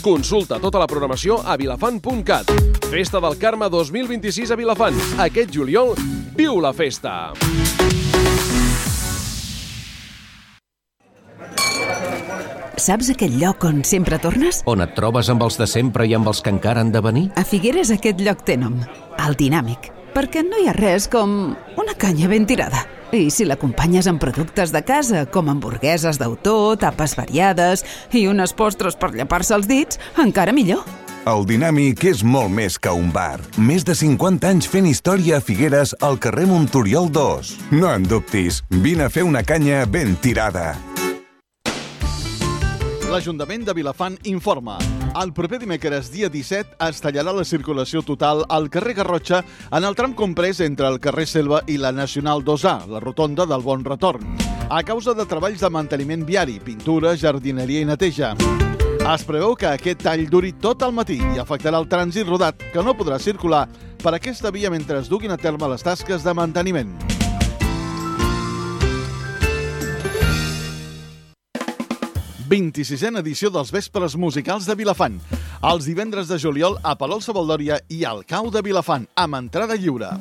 Consulta tota la programació a vilafant.cat. Festa del Carme 2026 a Vilafant. Aquest juliol, viu la festa! Saps aquell lloc on sempre tornes? On et trobes amb els de sempre i amb els que encara han de venir? A Figueres aquest lloc té nom, el Dinàmic, perquè no hi ha res com una canya ben tirada. I si l'acompanyes amb productes de casa, com hamburgueses d'autor, tapes variades i unes postres per llepar-se els dits, encara millor. El Dinàmic és molt més que un bar. Més de 50 anys fent història a Figueres al carrer Monturiol 2. No en dubtis, vine a fer una canya ben tirada. L'Ajuntament de Vilafant informa. El proper dimecres, dia 17, es tallarà la circulació total al carrer Garrotxa en el tram comprès entre el carrer Selva i la Nacional 2A, la rotonda del Bon Retorn, a causa de treballs de manteniment viari, pintura, jardineria i neteja. Es preveu que aquest tall duri tot el matí i afectarà el trànsit rodat, que no podrà circular per aquesta via mentre es duguin a terme les tasques de manteniment. La 26a edició dels Vespres Musicals de Vilafant. Els divendres de juliol a Palol Sabaldòria i al Cau de Vilafant, amb entrada lliure.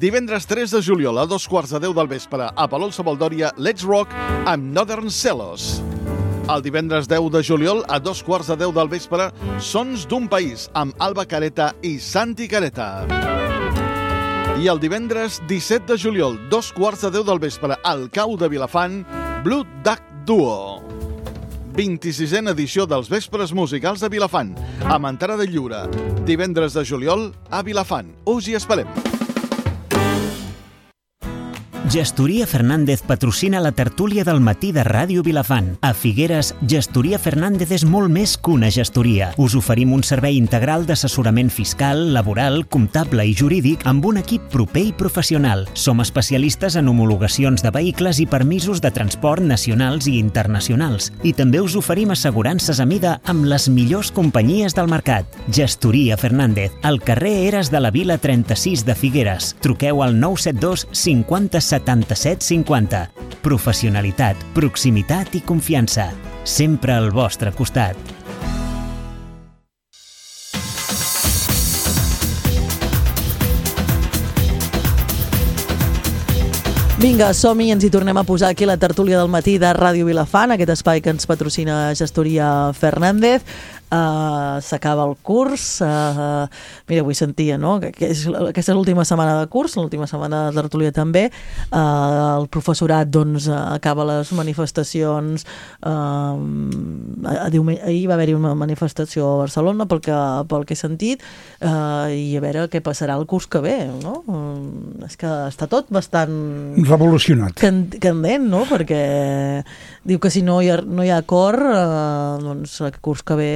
Divendres 3 de juliol a 2:15 del vespre a Palol Savaldòria, Let's Rock amb Northern Celos. El divendres 10 de juliol a 2:15 del vespre, Sons d'un País amb Alba Careta i Santi Careta. I el divendres 17 de juliol, 2:15 del vespre, al Cau de Vilafant, Blue Duck Duo. 26a edició dels Vespres Musicals de Vilafant, amb entrada lliure. Divendres de juliol a Vilafant. Us hi esperem. Gestoria Fernández patrocina la tertúlia del matí de Ràdio Vilafant. A Figueres, Gestoria Fernández és molt més que una gestoria. Us oferim un servei integral d'assessorament fiscal, laboral, comptable i jurídic amb un equip proper i professional. Som especialistes en homologacions de vehicles i permisos de transport nacionals i internacionals. I també us oferim assegurances a mida amb les millors companyies del mercat. Gestoria Fernández, al carrer Eres de la Vila 36 de Figueres. Truqueu al 972 50 77 50. Professionalitat, proximitat i confiança. Sempre al vostre costat. Vinga, som-hi, ens hi tornem a posar aquí la tertúlia del matí de Ràdio Vilafant, aquest espai que ens patrocina Gestoria Fernández. S'acaba el curs. Mira, avui sentia, no? Que aquesta és l'última setmana de curs, l'última setmana de tertúlia també. El professorat, doncs, acaba les manifestacions. Ahir va haver-hi una manifestació a Barcelona, pel que he sentit, i a veure què passarà el curs que ve, no? És que està tot bastant revolucionat, candent, no? Perquè diu que si no hi ha acord, doncs el curs que ve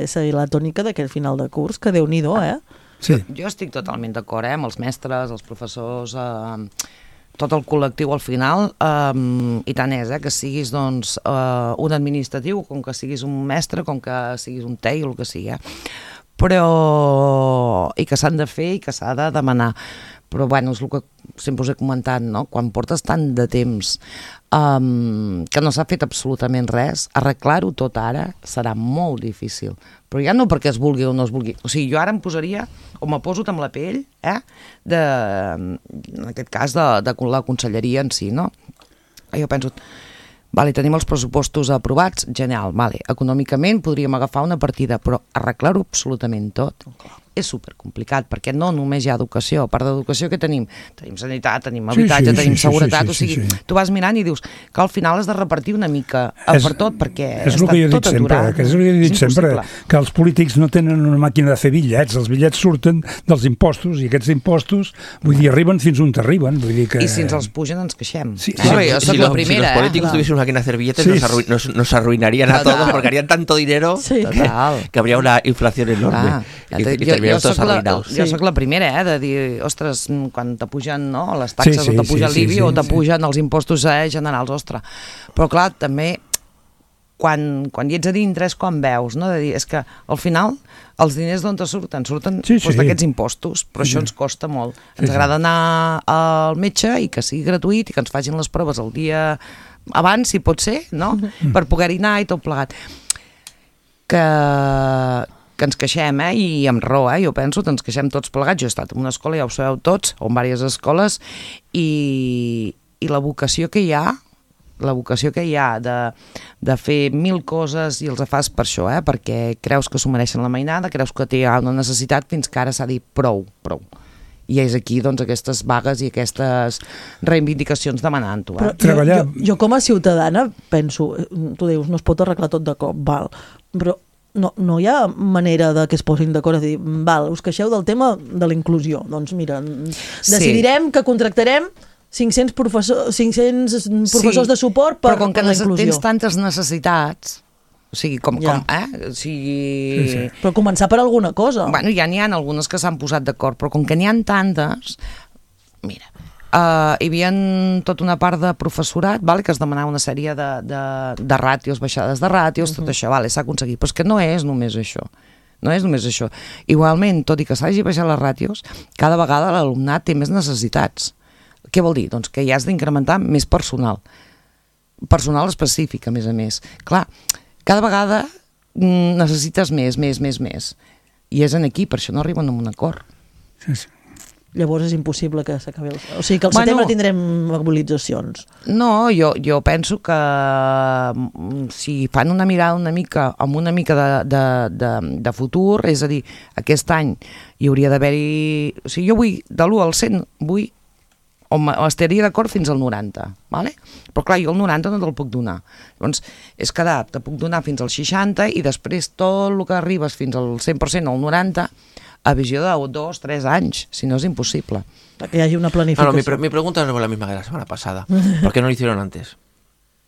seguir la tònica d'aquell final de curs, que Déu-n'hi-do, Sí. Jo estic totalment d'acord, amb els mestres, els professors, tot el col·lectiu al final, i tant és, que siguis doncs, un administratiu, com que siguis un mestre, com que siguis un tei o el que sigui, però i que s'han de fer i que s'ha de demanar. Però bueno, és el que sempre us he comentat, no? Quan portes tant de temps que no s'ha fet absolutament res, arreglar-ho tot ara serà molt difícil. Però ja no perquè es vulgui o no es vulgui. O sigui, jo ara em posaria, o me poso amb la pell, en aquest cas de la conselleria en si, no? Jo penso, vale, tenim els pressupostos aprovats, genial, vale. Econòmicament podríem agafar una partida, però arreglar-ho absolutament tot és supercomplicat, perquè no només hi ha educació. A part d'educació, què tenim? Tenim sanitat, tenim habitatge, tenim seguretat, o sigui, tu vas mirant i dius que al final has de repartir una mica per tot, perquè està tot aturat. És el que he dit sempre, que els polítics no tenen una màquina de fer bitllets, els bitllets surten dels impostos, i aquests impostos, vull dir, arriben fins on arriben. I si ens els pugen ens queixem. Si los políticos tuviesen una máquina de hacer billetes, nos arruinarían a todos, porque harían tanto dinero que habría una inflación enorme. Jo soc la primera, de dir, ostres, quan t'apugen les taxes o t'apuja l'IBI o t'apugen els impostos generals, ostres. Però clar, també, quan hi ets a dintre és quan veus, no? De dir, és que al final els diners d'on surten? Surten d'aquests impostos, però això ens costa molt. Ens agrada anar al metge i que sigui gratuït i que ens facin les proves el dia abans, si pot ser, no? Per poder-hi anar i tot plegat. Que ens queixem, i amb raó, jo penso que ens queixem tots plegats. Jo he estat en una escola, ja ho sabeu tots, o en diverses escoles, i la vocació que hi ha, de fer 1000 coses i els fas per això, perquè creus que s'ho mereixen la mainada, creus que té una necessitat, fins que ara s'ha dit prou. I és aquí, doncs, aquestes vagues i aquestes reivindicacions demanant-ho. Jo com a ciutadana penso, tu dius, no es pot arreglar tot de cop, val, però no hi ha manera de que es posin d'acord a dir, val, us queixeu del tema de la inclusió, doncs mira, decidirem que contractarem 500 professors de suport per la inclusió. Però com que tens tantes necessitats, o sigui, Però començar per alguna cosa. Bueno, ja n'hi ha algunes que s'han posat d'acord, però com que n'hi ha tantes, mira, hi havia tota una part de professorat que es demanava una sèrie de ràtios, baixades de ràtios, tot això, s'ha aconseguit, però és que no és només això. Igualment, tot i que s'hagi baixat les ràtios, cada vegada l'alumnat té més necessitats. Què vol dir? Doncs que hi has d'incrementar més personal específic, a més. Clar, cada vegada necessites més, i és en aquí, per això no arriben a un acord. llavors és impossible que s'acabi o sigui que al setembre tindrem mobilitzacions. No, jo penso que si fan una mirada amb una mica de futur, és a dir, aquest any hi hauria d'haver-hi... O sigui, jo vull, de l'1 al 100, estaria d'acord fins al 90, ¿vale? Però clar, jo el 90 no te'l puc donar. Llavors, és que te puc donar fins al 60 i després tot el que arribes fins al 100%, al 90, a visió de 2 o 3 anys, si no és imposible. Que hi hagi una planificació. Mi pregunta es la misma que la semana pasada. ¿Por qué no lo hicieron antes?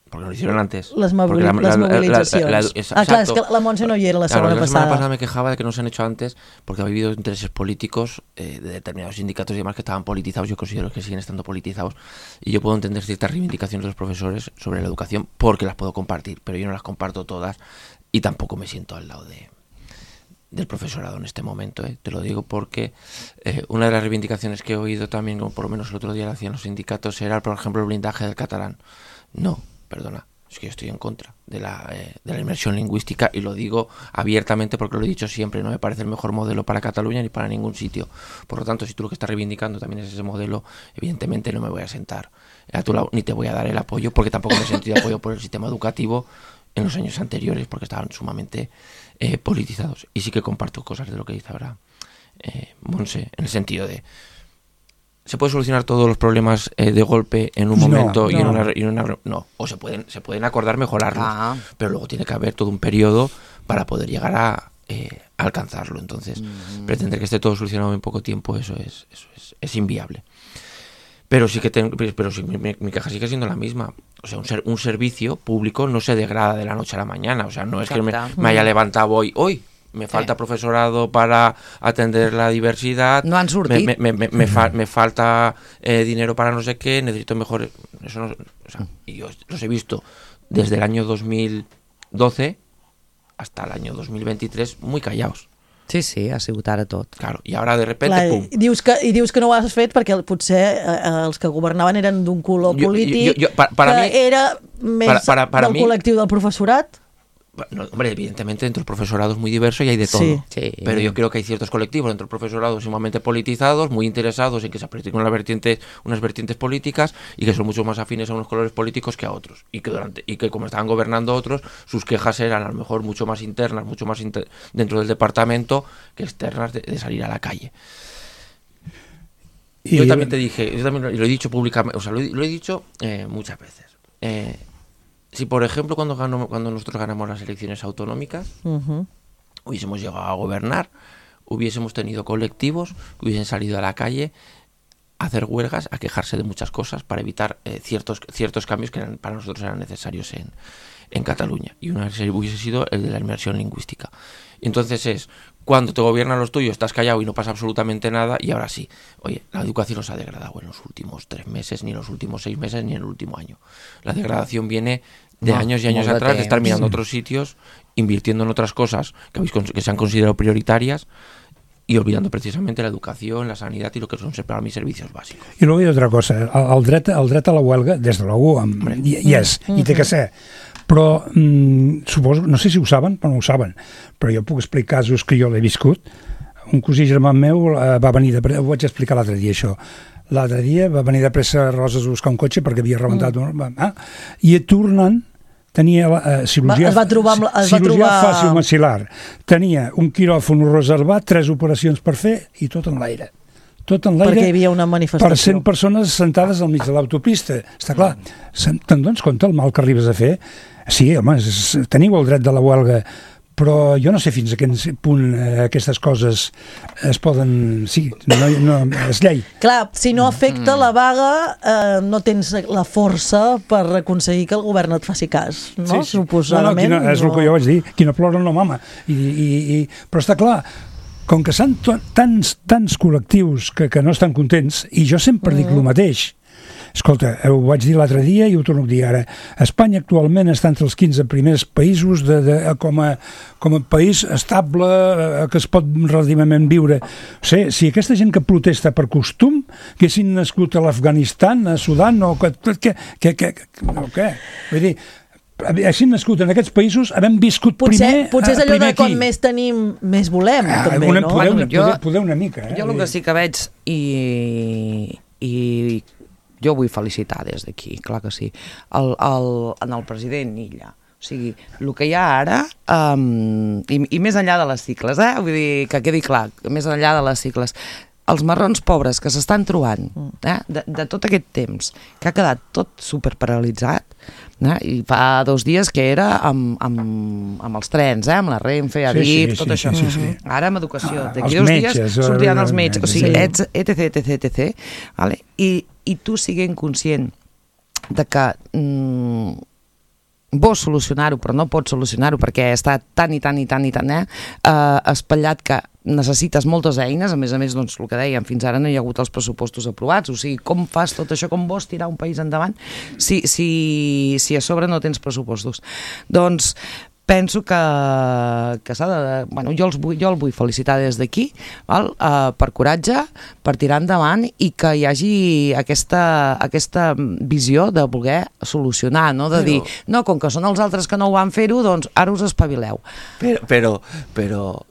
Porque no lo hicieron antes. Las movilizaciones. Claro, es que la Montse no hi era la semana pasada. La semana pasada me quejaba de que no se han hecho antes porque ha habido intereses políticos de determinados sindicatos y demás que estaban politizados. Yo considero que siguen estando politizados y yo puedo entender ciertas reivindicaciones de los profesores sobre la educación porque las puedo compartir, pero yo no las comparto todas y tampoco me siento al lado del profesorado en este momento. Te lo digo porque una de las reivindicaciones que he oído también, como por lo menos el otro día lo hacían los sindicatos, era, por ejemplo, el blindaje del catalán. No. Perdona, es que yo estoy en contra de la inmersión lingüística y lo digo abiertamente porque lo he dicho siempre, no me parece el mejor modelo para Cataluña ni para ningún sitio. Por lo tanto, si tú lo que estás reivindicando también es ese modelo, evidentemente no me voy a sentar a tu lado ni te voy a dar el apoyo porque tampoco me he sentido apoyo por el sistema educativo en los años anteriores porque estaban sumamente politizados. Y sí que comparto cosas de lo que dice ahora Montse, en el sentido de ¿se puede solucionar todos los problemas de golpe en un momento? No, o se pueden acordar mejorarlos, pero luego tiene que haber todo un periodo para poder llegar a alcanzarlo. Entonces, pretender que esté todo solucionado en poco tiempo, eso es inviable. Pero sí que mi queja sigue siendo la misma. O sea, un servicio público no se degrada de la noche a la mañana. O sea, no es que me haya levantado hoy. Me falta profesorado para atender la diversidad. No han sortit. Me falta dinero para no sé qué, necesito mejores... Eso no, o sea, y yo los he visto desde el año 2012 hasta el año 2023 muy callados. Sí, ha sigut ara tot. Claro, i ara de repente, pum. I dius que no ho has fet perquè potser els que governaven eren d'un color polític era més del col·lectiu del professorat? No, hombre, evidentemente dentro del profesorado es muy diverso y hay de todo, sí. Pero yo creo que hay ciertos colectivos dentro del profesorado sumamente politizados, muy interesados en que se practiquen unas vertientes políticas y que son mucho más afines a unos colores políticos que a otros y que como estaban gobernando otros, sus quejas eran a lo mejor mucho más internas, dentro del departamento que externas de salir a la calle. Yo también te dije, yo también lo he dicho públicamente, o sea, lo he dicho muchas veces. Si, por ejemplo, cuando nosotros ganamos las elecciones autonómicas, hubiésemos llegado a gobernar, hubiésemos tenido colectivos que hubiesen salido a la calle a hacer huelgas, a quejarse de muchas cosas para evitar ciertos cambios que para nosotros eran necesarios en Cataluña. Y una hubiese sido el de la inmersión lingüística. Y entonces cuando te gobiernan los tuyos, estás callado y no pasa absolutamente nada, y ahora sí. Oye, la educación no se ha degradado en los últimos 3 meses, ni en los últimos 6 meses, ni en el último año. La degradación viene de años y años atrás, de estar mirando otros sitios, invirtiendo en otras cosas que se han considerado prioritarias y olvidando precisamente la educación, la sanidad y lo que son para mis servicios bàsics. I luego hi ha otra cosa, el dret a la huelga, des de l'UU, i té que ser. Però suposo, no sé si ho saben, però no ho saben, però jo puc explicar casos que jo l'he viscut. Un cosí germà meu va venir de pressa, ho vaig explicar l'altre dia això, l'altre dia va venir de pressa a Roses a buscar un cotxe perquè havia rebentat i tornant tenia cirurgia fàcil maxil·lar, tenia un quiròfon reservat, 3 operacions per fer i tot en l'aire. Perquè hi havia una manifestació. Per 100 persones sentades al mig de l'autopista. Està clar, te'n dones compte el mal que arribes a fer? Sí, home, teniu el dret de la huelga, però jo no sé fins a quin punt aquestes coses es poden... Sí, no és llei. Clar, si no afecta la vaga, no tens la força per aconseguir que el govern et faci cas, no? Suposadament. No, és el que jo vaig dir, qui no plora no mama. Però està clar, com que són tants col·lectius que no estan contents, i jo sempre dic el mateix. Escolta, ho vaig dir l'altre dia i ho torno a dir ara. Espanya actualment està entre els 15 primers països com a país estable, que es pot relativament viure. O sigui, si aquesta gent que protesta per costum haguessin nascut a l'Afganistan, a Sudan, o què? Vull dir, així nascut en aquests països, havem viscut primer aquí. Potser és allò de quan més tenim, més volem, també, no? Poder una mica. Jo el que sí que veig, i jo vull felicitar des d'aquí, clar que sí, en el president Illa. O sigui, el que hi ha ara, i més enllà de les cicles, vull dir, que quedi clar, més enllà de les cicles, els marrons pobres que s'estan trobant de tot aquest temps, que ha quedat tot superparalitzat, i fa 2 dies que era amb els trens, amb la Renfe, Adif, tot això. Ara amb educació, d'aquí 2 dies sortiran els metges, o sigui, etc. I tu siguent conscient de que vols solucionar-ho, però no pots solucionar-ho perquè està tan espatllat que necessites moltes eines, a més, doncs, el que dèiem, fins ara no hi ha hagut els pressupostos aprovats, o sigui, com fas tot això, com vols tirar un país endavant si a sobre no tens pressupostos? Doncs penso que s'ha de... Bueno, jo el vull felicitar des d'aquí, per coratge, per tirar endavant i que hi hagi aquesta visió de voler solucionar, no? De dir, no, com que són els altres que no ho van fer-ho, doncs ara us espavileu. Pero lo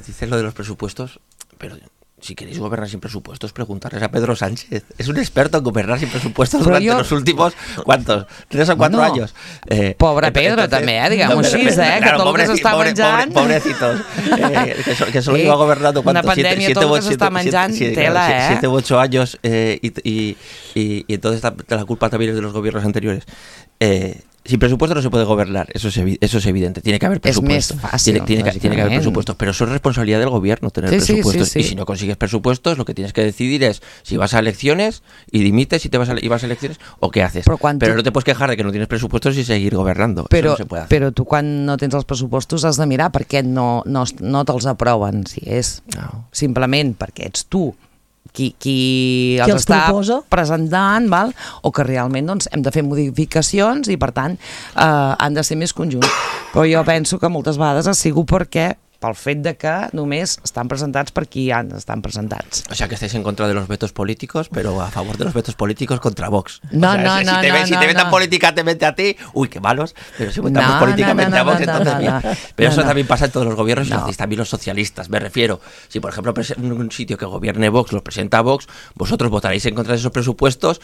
dices lo de los presupuestos, pero... Si queréis gobernar sin presupuestos, preguntarles a Pedro Sánchez. Es un experto en gobernar sin presupuestos durante los últimos, ¿cuántos? 3 o 4 años. Pobre Pedro també, diguem-ho així, que tot el que s'està menjant... Pobrecitos. Que solo lleva gobernando, ¿cuántos? Una pandèmia, tot el que s'està menjant, tela, 7 u 8 años, y entonces la culpa también es de los gobiernos anteriores. Sin presupuesto no se puede gobernar, eso es evidente. Tiene que haber presupuestos. Es más fácil. Tiene que haber presupuestos, pero eso es responsabilidad del gobierno tener presupuestos. Sí. Y si no consigues presupuestos, lo que tienes que decidir es si vas a elecciones y dimites y vas a elecciones o qué haces. Pero no te puedes quejar de que no tienes presupuestos y seguir gobernando. Eso no se puede hacer. Però tu quan no tens els pressupostos has de mirar per què no te'ls aproven. Si és simplement perquè ets tu qui els està presentant, o que realment hem de fer modificacions i per tant han de ser més conjunts. Però jo penso que moltes vegades ha sigut pel fet de que només estan presentats per qui estan presentats. O sea que estáis en contra de los vetos políticos, pero a favor de los vetos políticos contra Vox. Si te vetan políticamente a ti, uy, qué malos, pero si votamos políticamente a Vox, entonces bien. Pero eso también pasa en todos los gobiernos y también los socialistas, me refiero. Si por ejemplo un sitio que gobierne Vox los presenta Vox, vosotros votaréis en contra de esos presupuestos.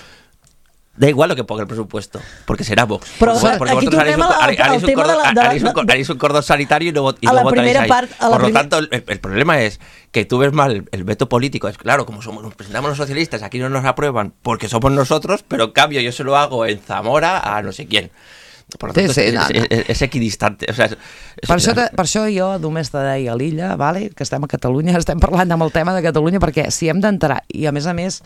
Da igual lo que ponga el presupuesto, porque será Vox. Però porque aquí vosotros haréis un cordón sanitario y no votaréis ahí. Por lo tanto, el problema es que tú ves mal el veto político. Es claro, como nos presentamos los socialistas, aquí no nos aprueban porque somos nosotros, pero en cambio yo se lo hago en Zamora a no sé quién. Per tant, és equidistante. O sigui, per això jo només te deia a l'Illa, que estem a Catalunya, estem parlant amb el tema de Catalunya, perquè si hem d'entrar, i a més,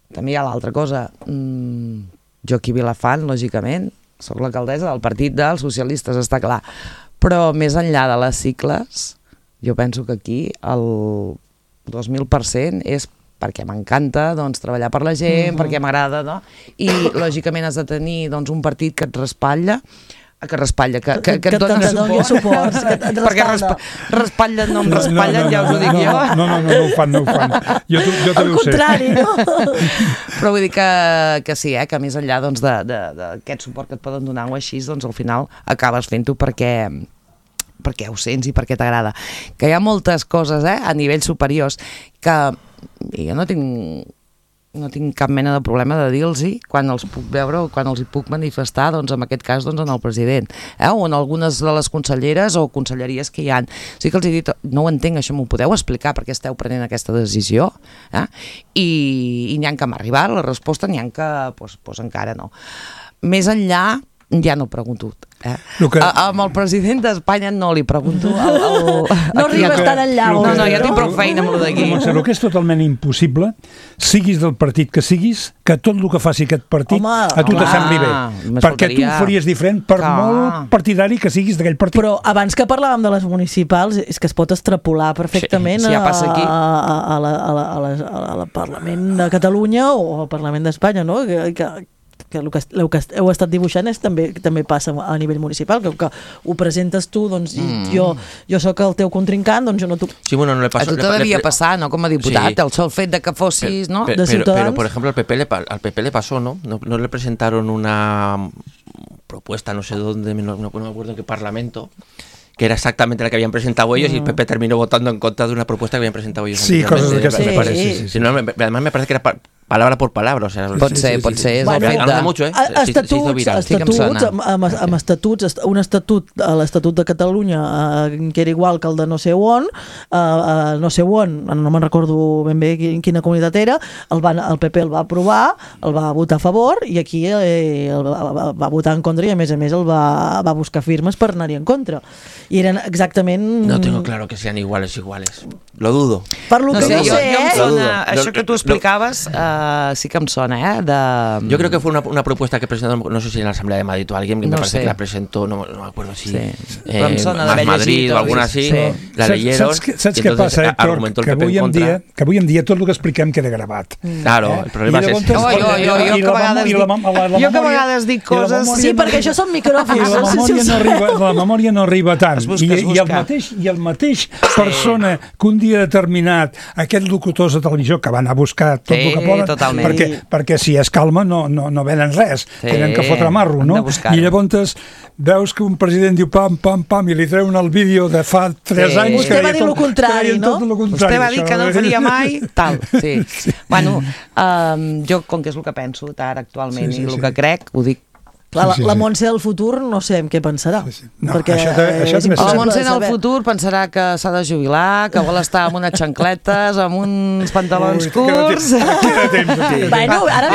també hi ha l'altra cosa. Jo aquí a Vilafant, lògicament, soc l'alcaldessa del Partit dels Socialistes, està clar. Però més enllà de les cicles, jo penso que aquí el 2.000% és perquè m'encanta treballar per la gent, perquè m'agrada, no? I lògicament has de tenir un partit que et respatlla, que et doni suport, perquè respatlen, no em respatlen, ja us ho dic jo. No ho fan. Jo també ho sé. Al contrari, no? Però vull dir que sí, que més enllà d'aquest suport que et poden donar o així, al final acabes fent-ho perquè ho sents i perquè t'agrada. Que hi ha moltes coses a nivell superiors que jo no tinc cap mena de problema de dir-los quan els puc veure o quan els hi puc manifestar, en aquest cas en el president, o en algunes de les conselleres o conselleries que hi ha. Sí que els he dit, no ho entenc, això m'ho podeu explicar per què esteu prenent aquesta decisió? I n'hi ha que m'ha arribat la resposta, n'hi ha que encara no. Més enllà, ja no pregunto. Amb el president d'Espanya no li pregunto. No arribes tan enllà. No, ja tinc prou feina amb el d'aquí. El que és totalment impossible, siguis del partit que siguis, que tot el que faci aquest partit a tu te sembli bé. Perquè tu ho faries diferent per molt partidari que siguis d'aquell partit. Però abans que parlàvem de les municipals, és que es pot extrapolar perfectament al Parlament de Catalunya o al Parlament d'Espanya, no? Que el que heu estat dibuixant també passa a nivell municipal, que ho presentes tu, jo sóc el teu contrincant, jo no t'ho... Sí, bueno, no le pasó. A tu te devia passar, ¿no? Com a diputat, el sol fet de que fossis, ¿no? Pero, por ejemplo, al PP le pasó, ¿no? No le presentaron una propuesta, no sé dónde, no me acuerdo en qué parlamento, que era exactamente la que habían presentado ellos y el PP terminó votando en contra de una propuesta que habían presentado ellos. Sí, cosas de que me parece. Sí. Además me parece que era palabra por palabra, o sea, pot ser, és bueno, el fet de... mucho, amb estatuts, un estatut, l'Estatut de Catalunya, que era igual que el de no sé on, no me'n recordo ben bé quina comunitat era, el PP el va aprovar, el va votar a favor, i aquí el va votar en contra, i a més el va buscar firmes per anar-hi en contra. I eren exactament... No tengo claro que sean iguales. Lo dudo. Per lo que no sé, això que tu explicaves... sí que em sona, Yo creo que fue una propuesta que presentó, no sé si en la Asamblea de Madrid o alguien, que me parece que la presentó, no me acuerdo si Más Madrid o alguna así, la leyeron, saps què passa, Héctor? Que avui en dia tot el que expliquem queda gravat. Claro, el problema és ese. Jo que a vegades dic coses... Sí, perquè això són micròfons. La memòria no arriba tant. I el mateix persona que un dia determinat, aquests locutors de televisió que van a buscar tot el que poden, perquè si es calma no venen res, tenen que fotre marro, no? I llavors veus que un president diu pam, pam, pam, i li treuen el vídeo de fa 3 anys. Vostè va dir el contrari, no? Vostè va dir que no ho faria mai, tal. Bueno, jo, com que és el que penso ara actualment i el que crec, ho dic. La Montse del futur no sé en què pensarà. La Montse del futur pensarà que s'ha de jubilar, que vol estar amb unes xancletes, amb uns pantalons curts. Bueno, ara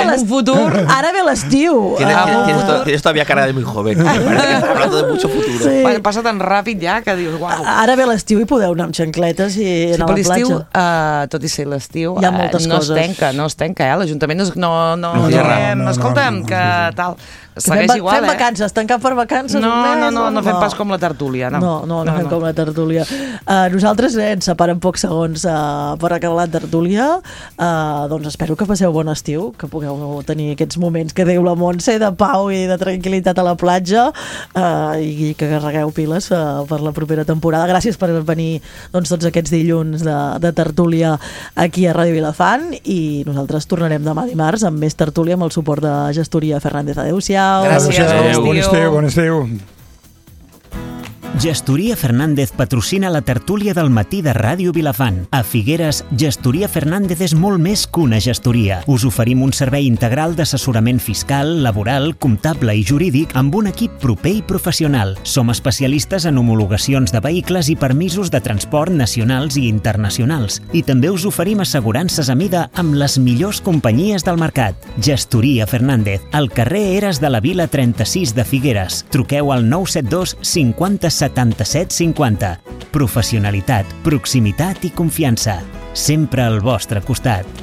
ve l'estiu. Tienes todavía cara de muy joven. Hablando de mucho futuro. Passa tan ràpid ja que dius, uau. Ara ve l'estiu i podeu anar amb xancletes i anar a la platja. Tot i ser l'estiu, no es tenca, l'Ajuntament no, escolta'm, que tal... Fem vacances, tancar per vacances no fem pas com la tertúlia. No fem com la tertúlia. Nosaltres ens separem pocs segons per acabar la tertúlia. Doncs espero que passeu bon estiu, que pugueu tenir aquests moments que diu la Montse de pau i de tranquil·litat a la platja, i que carregueu piles per la propera temporada. Gràcies per venir tots aquests dilluns de tertúlia aquí a Ràdio Vilafant, i nosaltres tornarem demà dimarts amb més tertúlia amb el suport de Gestoria Fernández. Adéu-siau. Gràcies. Bon estiu. Gestoria Fernández patrocina la tertúlia del matí de Ràdio Vilafant. A Figueres, Gestoria Fernández és molt més que una gestoria. Us oferim un servei integral d'assessorament fiscal, laboral, comptable i jurídic amb un equip proper i professional. Som especialistes en homologacions de vehicles i permisos de transport nacionals i internacionals. I també us oferim assegurances a mida amb les millors companyies del mercat. Gestoria Fernández, al carrer Eres de la Vila 36 de Figueres. Truqueu al 972 50 77 50. Professionalitat, proximitat i confiança. Sempre al vostre costat.